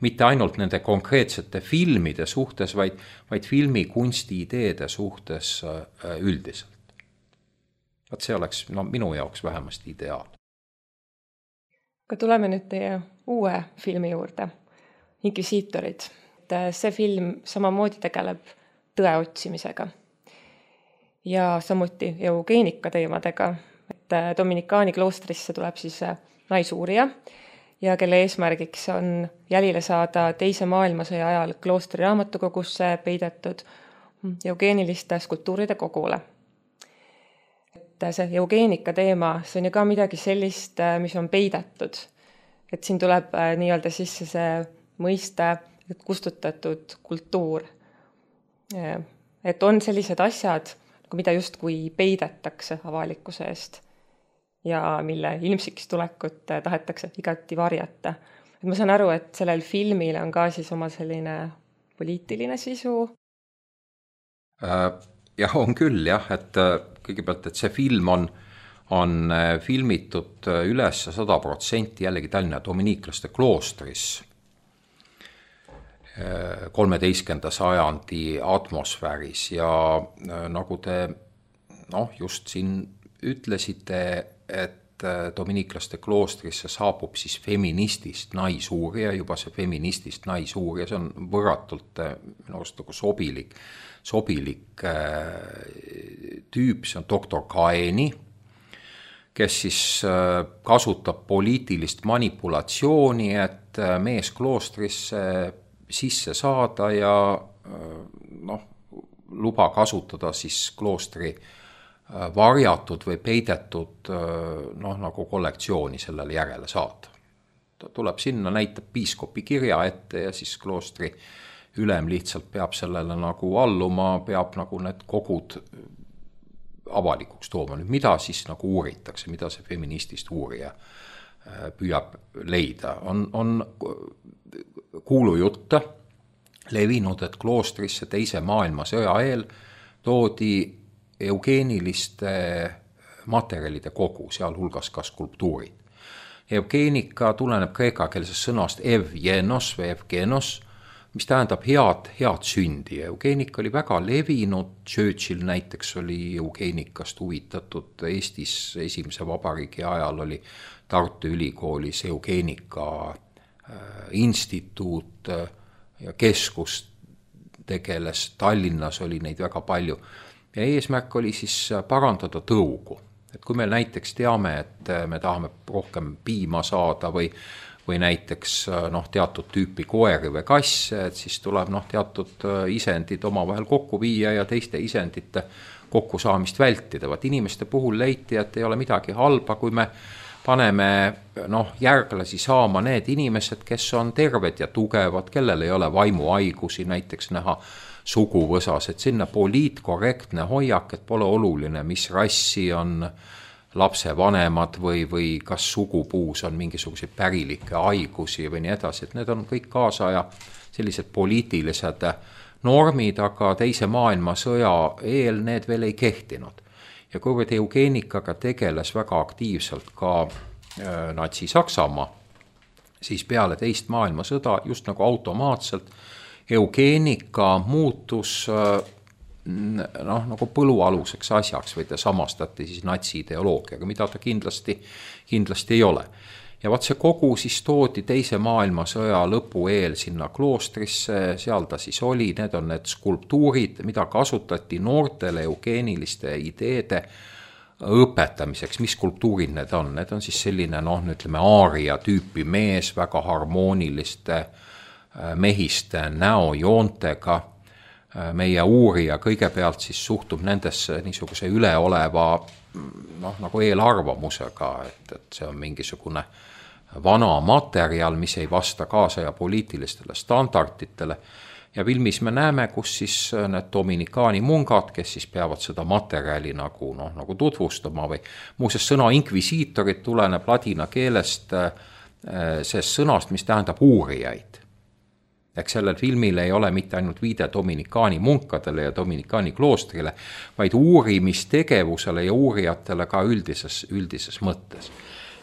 D: mitte ainult nende konkreetsete filmide suhtes, vaid, vaid filmi kunsti ideede suhtes üldiselt. Vaat see oleks no, minu jaoks vähemasti ideaal.
C: Aga tuleme nüüd teie uue filmi juurde, Inquisitorid. See film samamoodi tegeleb tõe otsimisega ja samuti eugeenika teemadega. Et Dominikaani kloostrisse tuleb siis naisuurija ja kelle eesmärgiks on jälile saada teise maailmasõja ajal kloostri raamatukogusse peidetud eugeeniliste skulptuuride kogule. See eugeenika teema, see on ju ka midagi sellist, mis on peidetud. Et siin tuleb nii-öelda sisse see mõiste kustutatud kultuur. Et on sellised asjad, mida justkui peidetakse avalikkuse eest ja mille ilmsiks tulekut tahetakse igati varjata. Et ma saan aru, et sellel filmil on ka siis oma selline poliitiline sisu.
D: Jah, on küll jah, et kõigepealt, et see film on, on filmitud üles sada protsenti jällegi Tallinna dominiiklaste kloostris kolmeteistkümnenda sajandi atmosfääris ja nagu te noh, just siin ütlesite, et dominiiklaste kloostrisse saabub siis feministist naisuurija, juba see feministist naisuurija, see on võrratult minu arust nagu sobilik, sobilik tüüp, see on doktor Kaeni, kes siis kasutab poliitilist manipulatsiooni, et mees kloostrisse sisse saada ja noh, luba kasutada siis kloostri varjatud või peidetud noh, nagu kollektsiooni sellele järele saada. Ta tuleb sinna, näitab piiskopi kirja ette ja siis kloostri ülem lihtsalt peab sellele nagu alluma, peab nagu need kogud avalikuks tooma. Nüüd, mida siis nagu uuritakse, mida see feministist uurija püüab leida? On, on kuulujutte levinud, et kloostrisse teise maailmasõja eel toodi eugeeniliste materjalide kogu, sealhulgas ka skulptuurid. Eugeenika tuleneb kreekakeelsest sõnast evgenos või evgenos, mis tähendab head, head sündi. Eugeenika oli väga levinud, Churchill näiteks oli eugeenikast huvitatud, Eestis esimese vabariigi ajal oli Tartu Ülikoolis eugeenika instituut ja keskus tegeles, Tallinnas oli neid väga palju. Ja eesmärk oli siis parandada tõugu. Et kui me näiteks teame, et me tahame rohkem piima saada või, või näiteks noh, teatud tüüpi koeri või kasse, et siis tuleb noh, teatud isendid omavahel kokku viia ja teiste isendite kokkusaamist vältida. Vaat inimeste puhul leiti, et ei ole midagi halba, kui me paneme noh, järglasi saama need inimesed, kes on terved ja tugevad, kellel ei ole vaimuhaigusi, näiteks näha suguvõsas, et sinna poliitkorrektne hoiak, et pole oluline, mis rassi on lapse vanemad või, või kas sugupuus on mingisuguseid pärilikke haigusi või nii edasi, et need on kõik kaasaja sellised poliitilised normid, aga teise maailmasõja eel need veel ei kehtinud. Ja kuivõrd eugeenikaga tegeles väga aktiivselt ka äh, Natsi-Saksamaa, siis peale teist maailmasõda just nagu automaatselt eugeenika muutus noh, nagu põlualuseks asjaks või ta samastati siis natsi ideoloogiaga, mida ta kindlasti, kindlasti ei ole. Ja vaat see kogu siis toodi teise maailmasõja lõpu eel sinna kloostrisse, seal ta siis oli, need on need skulptuurid, mida kasutati noortele eugeeniliste ideede õpetamiseks. Mis skulptuurid need on? Need on siis selline noh, ütleme aaria tüüpi mees, väga harmooniliste mehiste näojoontega. Meie uurija kõigepealt siis suhtub nendesse niisuguse üleoleva noh, nagu eelarvamusega, et, et see on mingisugune vana materjal, mis ei vasta kaasaja poliitilistele standarditele. Ja filmis me näeme, kus siis need dominikaani mungad, kes siis peavad seda materjali nagu, noh, nagu tutvustama või muuseas sõna inkvisiitorid tuleneb ladina keelest sellest sõnast, mis tähendab uurijaid. Ehk sellel filmil ei ole mitte ainult viide dominikaani munkadele ja dominikaani kloostrile, vaid uurimistegevusele ja uurijatele ka üldises, üldises mõttes.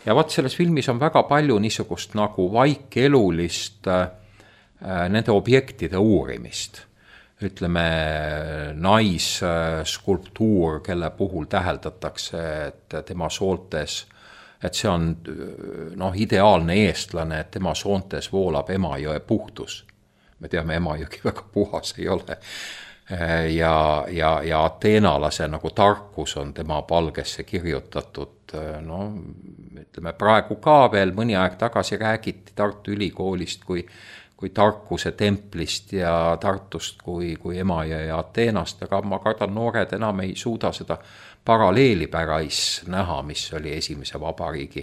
D: Ja vaat selles filmis on väga palju niisugust nagu vaikelulist äh, nende objektide uurimist. Ütleme naisskulptuur, kelle puhul täheldatakse, et tema sooltes, et see on noh, ideaalne eestlane, et tema soontes voolab Emajõe puhtus. Me teame, Emajõgi väga puhas ei ole. Ja, ja, ja ateenalase nagu tarkus on tema palgesse kirjutatud. No, ütleme, praegu ka veel mõni aeg tagasi räägiti Tartu Ülikoolist kui, kui tarkuse templist ja Tartust kui, kui Emajõe ja Ateenast, aga ma kardan, noored enam ei suuda seda paralleeli pärais näha, mis oli esimese vabariigi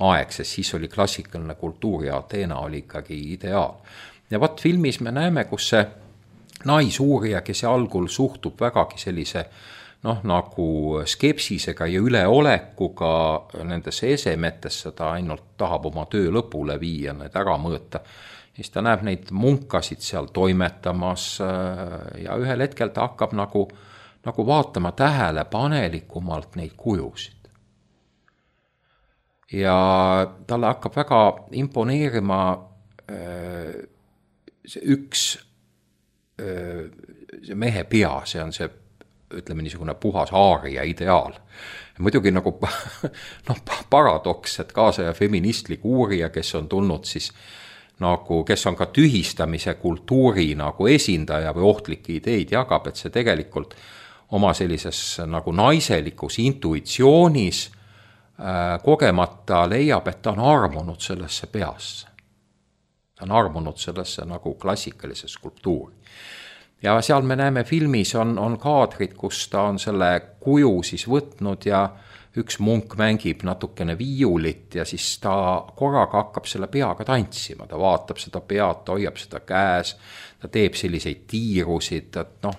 D: aeg, sest siis oli klassikaline kultuur ja Ateena oli ikkagi ideaal. Ja vaat filmis me näeme, kus see naisuurija, kes algul suhtub vägagi sellise noh, nagu skepsisega ja üleolekuga nendesse esemetesse, ta ainult tahab oma töö lõpule viia, need ära mõõta. Siis ta näeb neid munkasid seal toimetamas ja ühel hetkel ta hakkab nagu, nagu vaatama tähelepanelikumalt neid kujusid. Ja talle hakkab väga imponeerima see üks see mehe pea, see on see ütleme niisugune puhas aaria ideaal. Muidugi nagu noh, paradoks, et kaasaja feministlik uurija, kes on tulnud siis nagu, kes on ka tühistamise kultuuri nagu esindaja või ohtlikke ideid jagab, et see tegelikult oma sellises nagu naiselikus intuitsioonis äh, kogemata leiab, et ta on armunud sellesse peasse. Ta on armunud sellesse nagu klassikalise skulptuuri. Ja seal me näeme filmis on, on kaadrid, kus ta on selle kuju siis võtnud ja üks munk mängib natukene viiulit ja siis ta korraga hakkab selle peaga tantsima. Ta vaatab seda pead, ta hoiab seda käes, ta teeb selliseid tiirusid, et noh,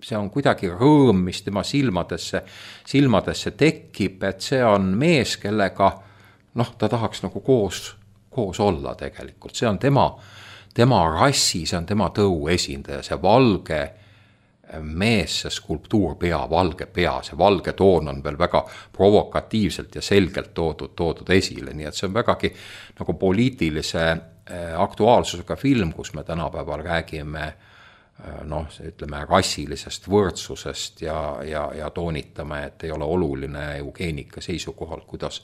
D: see on kuidagi rõõm, mis tema silmadesse, silmadesse tekib, et see on mees, kellega noh, ta tahaks nagu koos, koos olla tegelikult. See on tema tema rassi, see on tema tõu esindaja, see valge mees, see skulptuurpea, valge pea, see valge toon on veel väga provokatiivselt ja selgelt toodud, toodud esile, nii et see on vägagi nagu poliitilise aktuaalsusega film, kus me tänapäeval räägime noh, ütleme rassilisest võrdsusest ja, ja, ja toonitame, et ei ole oluline eugeenika seisukohal, kuidas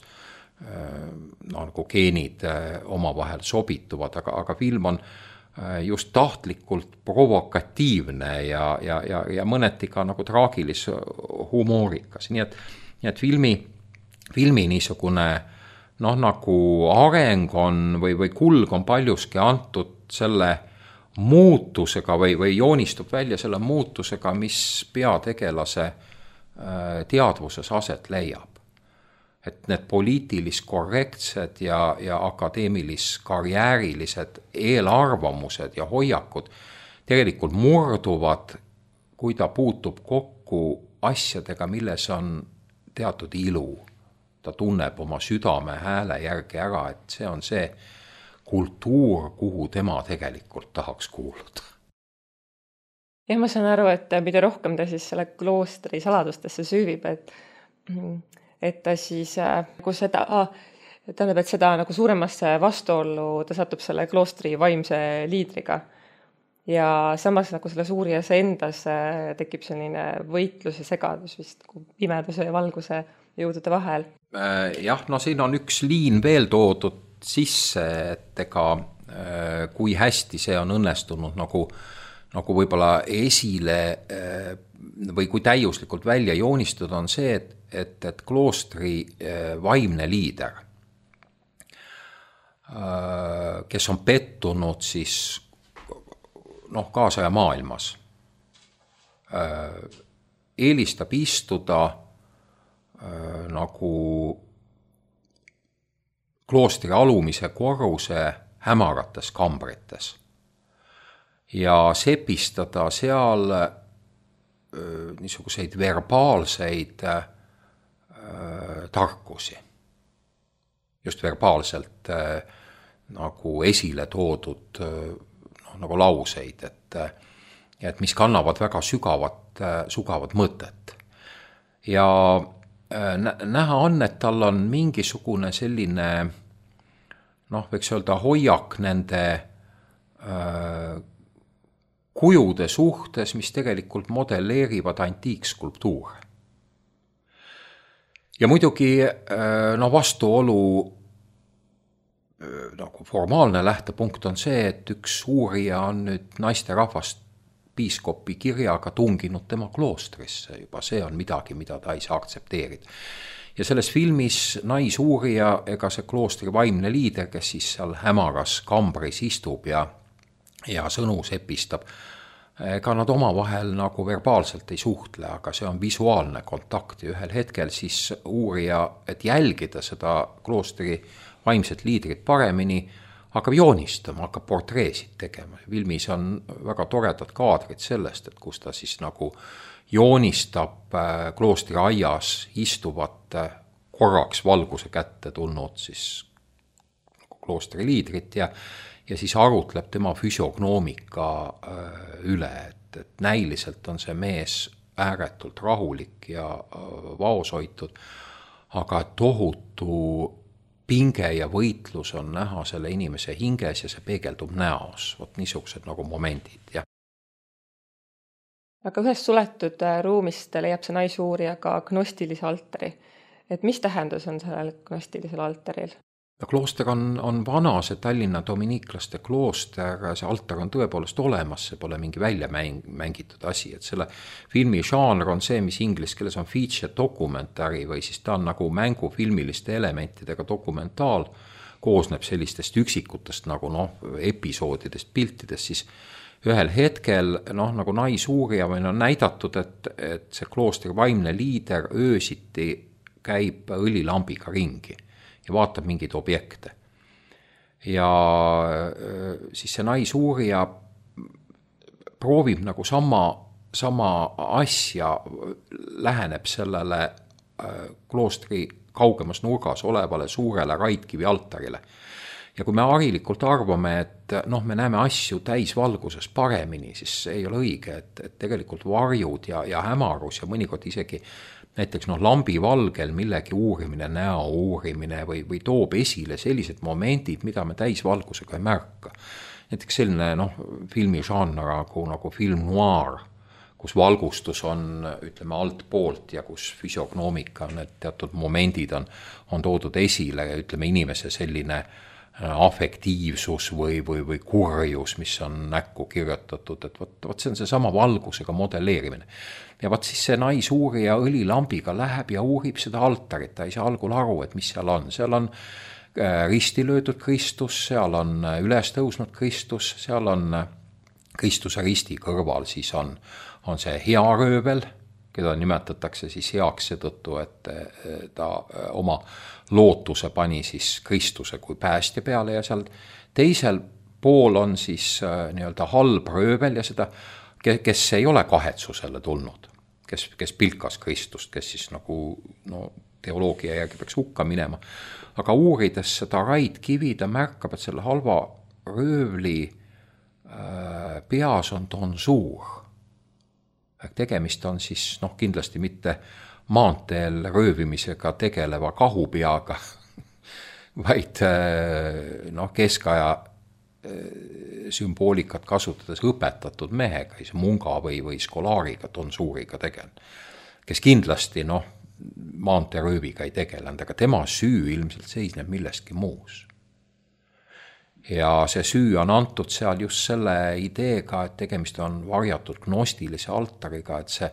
D: no, nagu geenid omavahel sobituvad, aga, aga film on just tahtlikult provokatiivne ja, ja, ja, ja mõneti ka nagu traagilis humoorikas. Nii et, nii et filmi, filmi niisugune noh, nagu areng on või, või kulg on paljuski antud selle muutusega või, või joonistub välja selle muutusega, mis peategelase teadvuses aset leiab. Et need poliitilis korrektsed ja, ja akadeemilis karjäärilised eelarvamused ja hoiakud tegelikult murduvad, kui ta puutub kokku asjadega, milles on teatud ilu. Ta tunneb oma südame hääle järgi ära, et see on see kultuur, kuhu tema tegelikult tahaks kuuluda.
C: Ja ma saan aru, et mida rohkem ta siis selle kloostri saladustesse süüvib, et et ta siis, kui seda, tähendab, et seda nagu suuremasse vastuollu ta satub selle kloostri vaimse liidriga. Ja samas nagu selle suurijas endas tekib selline võitlus ja segadus vist pimeduse ja valguse jõudude vahel.
D: Jah, no siin on üks liin veel toodud sisse, et ega kui hästi see on õnnestunud nagu nagu võib-olla esile või kui täiuslikult välja joonistud on see, et, et, et kloostri vaimne liider, kes on pettunud siis noh, kaasaja maailmas, eelistab istuda nagu kloostri alumise korruse hämarates kambrites ja sepistada seal öö, niisuguseid verbaalseid öö, tarkusi. Just verbaalselt öö, nagu esile toodud öö, no, nagu lauseid, et, et mis kannavad väga sügavat, sügavat mõtet. Ja öö, näha on, et tal on mingisugune selline, noh, võiks öelda hoiak nende öö, kujude suhtes, mis tegelikult modelleerivad antiikskulptuure. Ja muidugi no vastuolu nagu formaalne lähtepunkt on see, et üks uurija on nüüd naiste rahvast piiskopi kirjaga tunginud tema kloostrisse. Juba see on midagi, mida ta ei saa aktsepteerida. Ja selles filmis naisuurija ega see kloostri vaimne liider, kes siis seal hämaras kambris istub ja ja sõnu sepistab, ega nad omavahel nagu verbaalselt ei suhtle, aga see on visuaalne kontakt ja ühel hetkel siis uurija, et jälgida seda kloostri vaimset liidrit paremini, hakkab joonistama, hakkab portreesid tegema. Filmis on väga toredad kaadrid sellest, et kus ta siis nagu joonistab kloostri aias istuvat korraks valguse kätte tulnud siis kloostri liidrit ja ja siis arutleb tema füsiognoomika üle, et, et näiliselt on see mees ääretult rahulik ja vaoshoitud, aga tohutu pinge ja võitlus on näha selle inimese hinges ja see peegeldub näos. Vot niisugused nagu momendid, jah.
C: aga ühes suletud ruumist leiab see naisuurija ka gnostilise altari. Et mis tähendus on sellel gnostilisel altaril?
D: Klooster on, on vana, see Tallinna dominiiklaste klooster, see altar on tõepoolest olemas, see pole mingi välja mäng, mängitud asi, et selle filmi žanr on see, mis inglis keeles on feature dokumentari või siis ta on nagu mängufilmiliste elementidega dokumentaal, koosneb sellistest üksikutest nagu noh, episoodidest, piltidest, siis ühel hetkel noh, nagu naisuurija või on näidatud, et, et see kloostri vaimne liider öösiti käib õlilambiga ringi ja vaatab mingeid objekte. Ja siis see naisuurija proovib nagu sama, sama asja, läheneb sellele kloostri kaugemas nurgas olevale suurele raidkivi altarile. Ja kui me harilikult arvame, et noh, me näeme asju täisvalguses paremini, siis ei ole õige, et, et tegelikult varjud ja, ja hämarus ja mõnikord isegi näiteks noh, lambi valgel millegi uurimine, näo uurimine või, või toob esile sellised momendid, mida me täisvalgusega ei märka. Näiteks selline noh, filmi žanr nagu, nagu film noir, kus valgustus on, ütleme, alt poolt ja kus füsiognoomika, need teatud momendid on, on toodud esile ja ütleme, inimese selline afektiivsus või, või, või kurjus, mis on näkku kirjutatud, et võt, võt see on see sama valgusega modelleerimine. Ja võt siis see naisuurija õlilambiga läheb ja uurib seda altarit, ta ei saa algul aru, et mis seal on. Seal on risti löödud Kristus, seal on üles tõusnud Kristus, seal on Kristuse risti kõrval, siis on, on see hea röövel, keda nimetatakse siis heaks seetõttu, et ta oma lootuse pani siis Kristuse kui päästja peale ja seal teisel pool on siis nii-öelda halb röövel ja seda, kes ei ole kahetsusele tulnud, kes, kes pilkas Kristust, kes siis nagu no, teoloogia järgi peaks hukka minema. Aga uurides seda raidkivi, ta märkab, et selle halva röövli äh, peas on tonsuur. Tegemist on siis noh, kindlasti mitte maanteel röövimisega tegeleva kahupeaga, vaid noh, keskaja sümboolikat kasutades õpetatud mehega, munga või, või skolaariga, tonsuuriga tegelenud, kes kindlasti noh, maanteerööviga ei tegelenud, aga tema süü ilmselt seisneb millestki muus. Ja see süü on antud seal just selle ideega, et tegemist on varjatud gnostilise altariga, et see,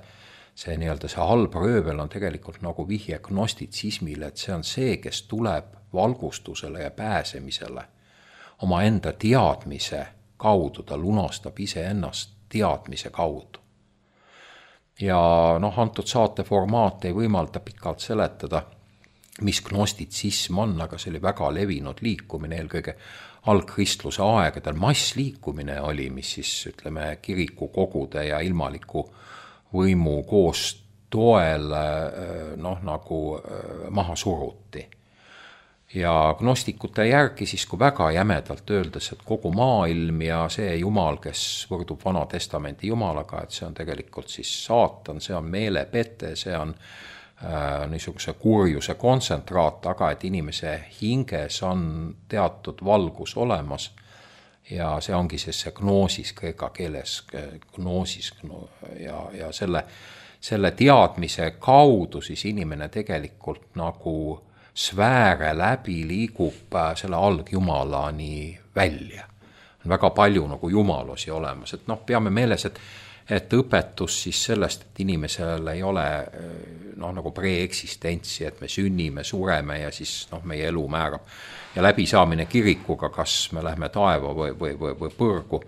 D: see, nii-öelda see halb röövel on tegelikult nagu vihje gnostitsismile, et see on see, kes tuleb valgustusele ja pääsemisele oma enda teadmise kaudu, ta lunastab iseennast teadmise kaudu. Ja noh, antud saate formaat ei võimalda pikalt seletada, mis gnostitsism on, aga see oli väga levinud liikumine, eelkõige algkristluse aegadel massliikumine oli, mis siis ütleme kiriku kogude ja ilmaliku võimu koos toel noh, nagu maha suruti. Ja gnostikute järgi siis, kui väga jämedalt öeldes, et kogu maailm ja see jumal, kes võrdub Vana Testamenti jumalaga, et see on tegelikult siis saatan, see on meelepete, see on äh, niisuguse kurjuse kontsentraat, aga et inimese hinges on teatud valgus olemas ja see ongi siis see gnoosis kreeka keeles, gnoosis ja, ja selle, selle teadmise kaudu siis inimene tegelikult nagu sfääre läbi liigub selle algjumalani välja. On väga palju nagu jumalusi olemas, et noh, peame meeles, et, et õpetus siis sellest, et inimesel ei ole noh, nagu preeksistentsi, et me sünnime, sureme ja siis noh, meie elu määrab. Ja läbisaamine kirikuga, kas me lähme taeva või, või, või, või põrgu,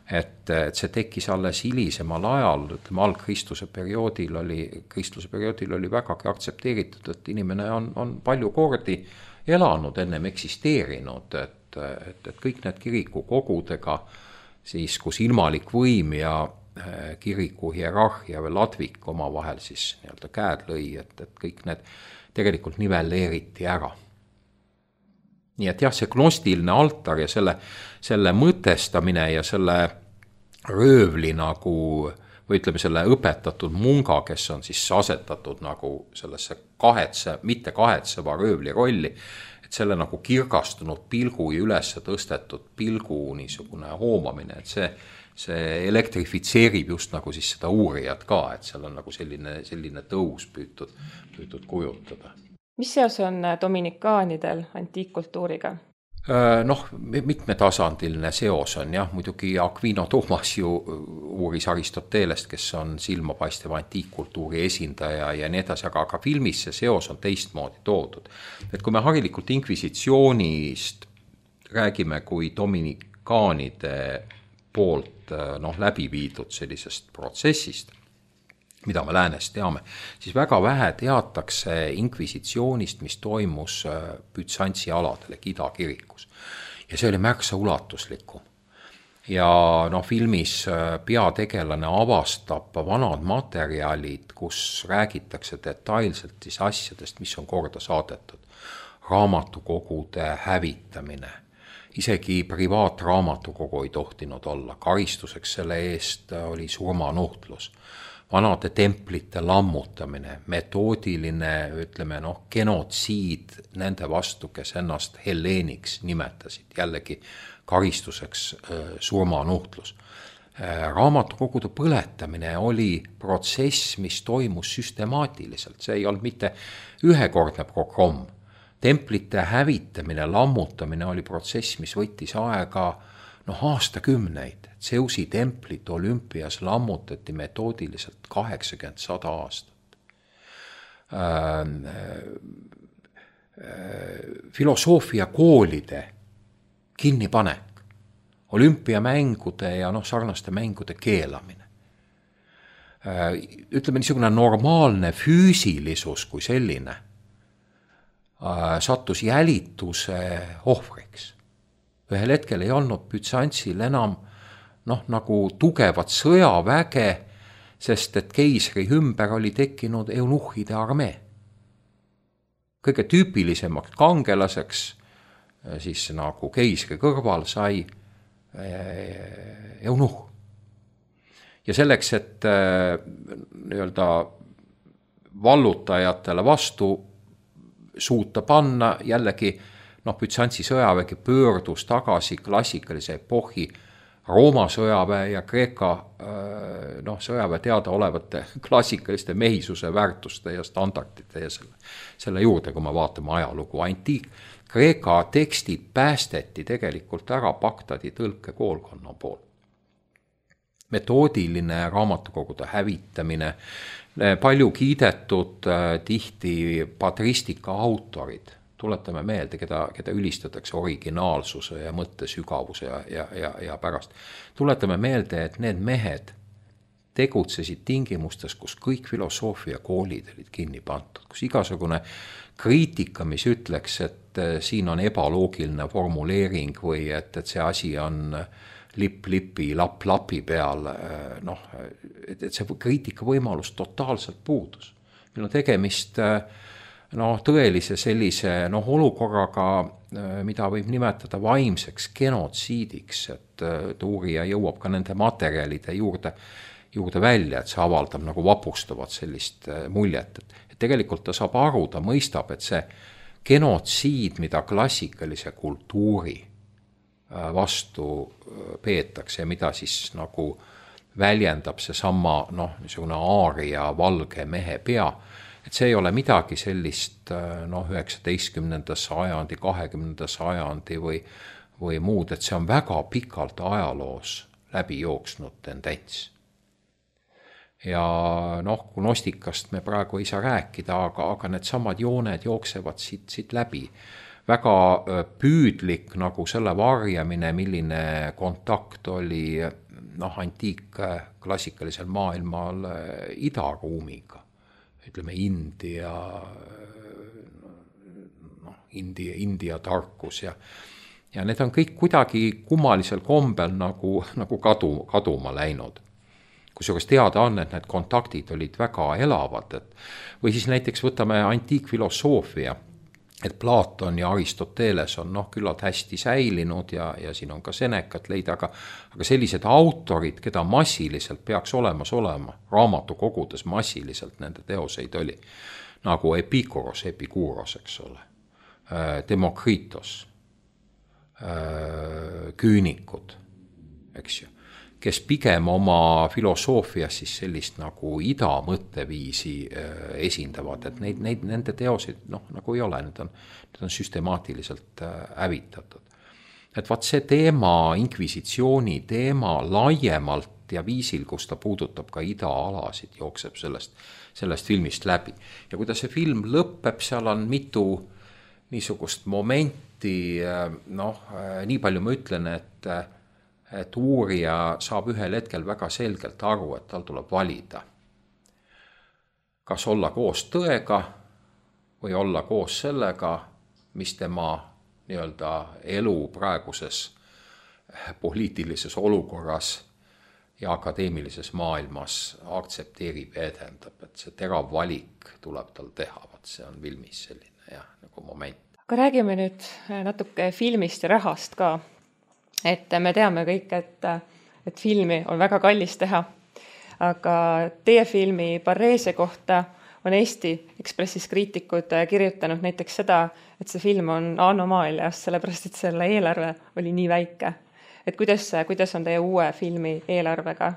D: et, et see tekkis alles hilisemal ajal, ütleme algkristuse perioodil oli, kristluse perioodil oli vägagi aktsepteeritud, et inimene on, on palju kordi elanud, ennem eksisteerinud, et, et, et kõik need kirikukogudega, siis kus ilmalik võim ja kiriku hierarhia või ladvik oma vahel siis nii-öelda käed lõi, et, et kõik need tegelikult nivelleeriti ära. Nii et jah, see gnostiline altar ja selle, selle mõtestamine ja selle röövli nagu, või ütleme selle õpetatud munga, kes on siis asetatud nagu sellesse kahetse, mitte kahetseva röövli rolli, et selle nagu kirgastunud pilgu ja üles tõstetud pilgu niisugune hoomamine, et see, see elektrifitseerib just nagu siis seda uurijat ka, et seal on nagu selline, selline tõus püütud, püütud kujutada.
C: Mis seos on dominikaanidel antiikkultuuriga?
D: Noh, mitmetasandiline seos on jah, muidugi Aquino Thomas ju uuris Aristotelest, kes on silmapaistev antiikkultuuri esindaja ja nii edasi, aga, aga filmis see seos on teistmoodi toodud. Et kui me harilikult inkvisitsioonist räägime kui dominikaanide poolt noh, läbi viidud sellisest protsessist, mida me läänes teame, siis väga vähe teatakse inkvisitsioonist, mis toimus Bütsantsi aladel ehk Ida-kirikus. Ja see oli märksa ulatuslikum. Ja no, filmis peategelane avastab vanad materjalid, kus räägitakse detailselt siis asjadest, mis on korda saadetud. Raamatukogude hävitamine. Isegi privaatraamatukogu ei tohtinud olla. Karistuseks selle eest oli surmanuhtlus. Vanade templite lammutamine, metoodiline, ütleme, noh, genotsiid nende vastu, kes ennast helleeniks nimetasid, jällegi karistuseks surmanuhtlus. Raamatukogude põletamine oli protsess, mis toimus süstemaatiliselt, see ei olnud mitte ühekordne programm. Templite hävitamine, lammutamine oli protsess, mis võttis aega noh, aastakümneid. Zeusi templit Olümpias lammutati metoodiliselt kaheksakümmend sada aastat. Filosoofia koolide kinnipanek, olümpiamängude ja noh, sarnaste mängude keelamine. Ütleme niisugune normaalne füüsilisus kui selline sattus jälituse ohvriks. Ühel hetkel ei olnud Bütsantsil enam noh, nagu tugevat sõjaväge, sest et keisri ümber oli tekkinud eunuhide armee. Kõige tüüpilisemaks kangelaseks siis nagu keisri kõrval sai eunuh. Ja selleks, et nii-öelda vallutajatele vastu suuta panna, jällegi noh, Bütsantsi sõjavägi pöördus tagasi klassikalise epohhi Rooma sõjaväe ja Kreeka noh, sõjaväe teada olevate klassikaliste mehisuse väärtuste ja standardite ja selle, selle juurde, kui me vaatame ajalugu. Antiik Kreeka tekstid päästeti tegelikult ära Bagdadi tõlkekoolkonna poolt. Metoodiline raamatukogude hävitamine, palju kiidetud tihti patristika autorid, tuletame meelde, keda, keda ülistatakse originaalsuse ja mõttesügavuse ja, ja, ja, ja pärast. Tuletame meelde, et need mehed tegutsesid tingimustes, kus kõik filosoofia koolid olid kinni pandud, kus igasugune kriitika, mis ütleks, et siin on ebaloogiline formuleering või et, et see asi on lipp-lipi, lapp-lapi peal, noh, et, et see kriitika võimalus totaalselt puudus. Meil on tegemist no, tõelise sellise no, olukorraga, mida võib nimetada vaimseks genotsiidiks, et uurija jõuab ka nende materjalide juurde, juurde välja, et see avaldab nagu vapustavat sellist muljet. Et, et tegelikult ta saab aru, ta mõistab, et see genotsiid, mida klassikalise kultuuri vastu peetakse ja mida siis nagu väljendab see sama noh, niisugune aaria valge mehe pea, et see ei ole midagi sellist noh, üheksateistkümnenda sajandi, kahekümnenda sajandi või, või muud, et see on väga pikalt ajaloos läbi jooksnud tendents. Ja noh, gnostikast me praegu ei saa rääkida, aga, aga need samad jooned jooksevad siit, siit läbi. Väga püüdlik nagu selle varjamine, milline kontakt oli noh, antiik klassikalisel maailmal idaruumiga. Ütleme India, noh, India, India tarkus ja, ja need on kõik kuidagi kummalisel kombel nagu, nagu kadu, kaduma läinud. Kusjuures teada on, et need kontaktid olid väga elavad. Et, või siis näiteks võtame antiikfilosoofia, et Platon ja Aristoteles on noh, küllalt hästi säilinud ja, ja siin on ka Senecat leida, aga, aga sellised autorid, keda massiliselt peaks olemas olema, raamatukogudes massiliselt nende teoseid oli, nagu Epikuros, Epikuros, eks ole, Demokritos, küünikud, eks ju. kes pigem oma filosoofias siis sellist nagu ida mõtteviisi esindavad, et neid, neid, nende teosid noh, nagu ei ole, need on, need on süstemaatiliselt hävitatud. Et vaat see teema, inkvisitsiooni teema laiemalt ja viisil, kus ta puudutab ka ida-alasid, jookseb sellest, sellest filmist läbi. Ja kui ta see film lõppeb, seal on mitu niisugust momenti, noh, nii palju ma ütlen, et, et uurija saab ühel hetkel väga selgelt aru, et tal tuleb valida. Kas olla koos tõega või olla koos sellega, mis tema nii-öelda elu praeguses poliitilises olukorras ja akadeemilises maailmas aktsepteerib ja edendab, et see terav valik tuleb tal teha, vaat see on filmis selline jah, nagu moment.
C: Aga räägime nüüd natuke filmist ja rahast ka, et me teame kõik, et, et filmi on väga kallis teha, aga teie filmi Parreesia kohta on Eesti Ekspressis kriitikud kirjutanud näiteks seda, et see film on anomaalias, sellepärast et selle eelarve oli nii väike. Et kuidas, kuidas on teie uue filmi eelarvega?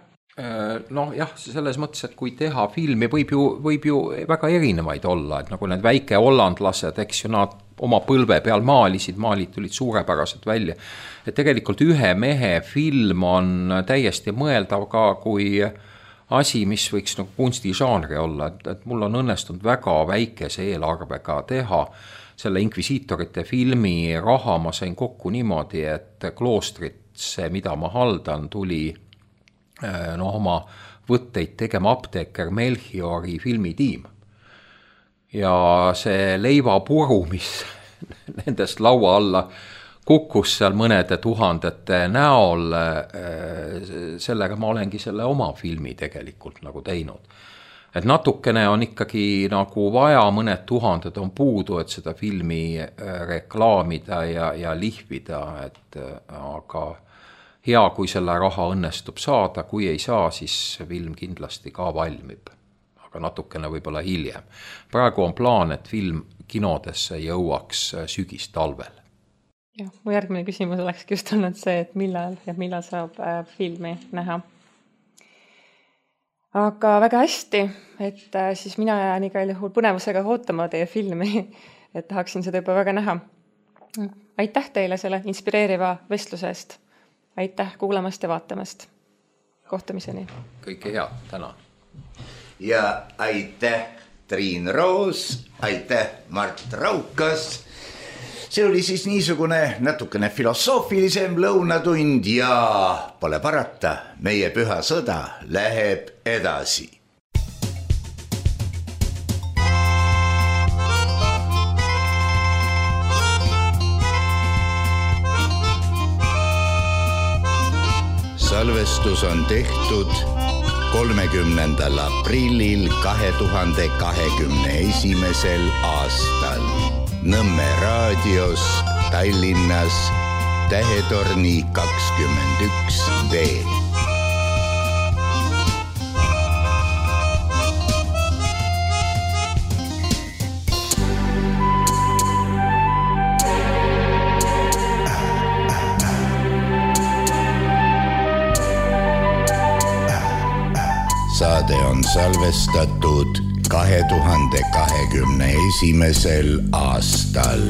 D: Noh jah, selles mõttes, et kui teha filmi, võib ju, võib ju väga erinevaid olla, et nagu need väike hollandlased, eks ju, nad oma põlve peal maalisid, maalid tulid suurepäraselt välja. Et tegelikult ühe mehe film on täiesti mõeldav ka kui asi, mis võiks nagu kunstižanri olla, et, et mul on õnnestunud väga väikese eelarvega teha. Selle inkvisiitorite filmi raha ma sain kokku niimoodi, et kloostritse, mida ma haldan, tuli no, oma võtteid tegema apteeker Melchiori filmitiim. Ja see leivapuru, mis nendest laua alla kukkus seal mõnede tuhandete näol, sellega ma olengi selle oma filmi tegelikult nagu teinud. Et natukene on ikkagi nagu vaja, mõned tuhanded on puudu, et seda filmi reklaamida ja, ja lihvida, et aga hea, kui selle raha õnnestub saada, kui ei saa, siis film kindlasti ka valmib, aga natukene võib-olla hiljem. Praegu on plaan, et film kinodesse jõuaks sügis talvel.
C: Ja, mu järgmine küsimus olekski just olnud see, et millal ja millal saab filmi näha. Aga väga hästi, et siis mina jään igal juhul põnevusega ootama teie filmi, et tahaksin seda juba väga näha. Aitäh teile selle inspireeriva vestluse eest. Aitäh kuulamast ja vaatamast. Kohtumiseni.
D: Kõike head, tänan.
B: Ja aitäh Triin Roos, aitäh Mart Raukas. See oli siis niisugune natukene filosoofilisem lõunatund ja pole parata, meie püha sõda läheb edasi. Salvestus on tehtud kolmekümnendal aprillil kahe tuhande kahekümne esimesel aastal. Nõmme raadios Tallinnas Tähetorni kakskümmend üks B. Saade on salvestatud kahe tuhande kahekümne esimesel aastal.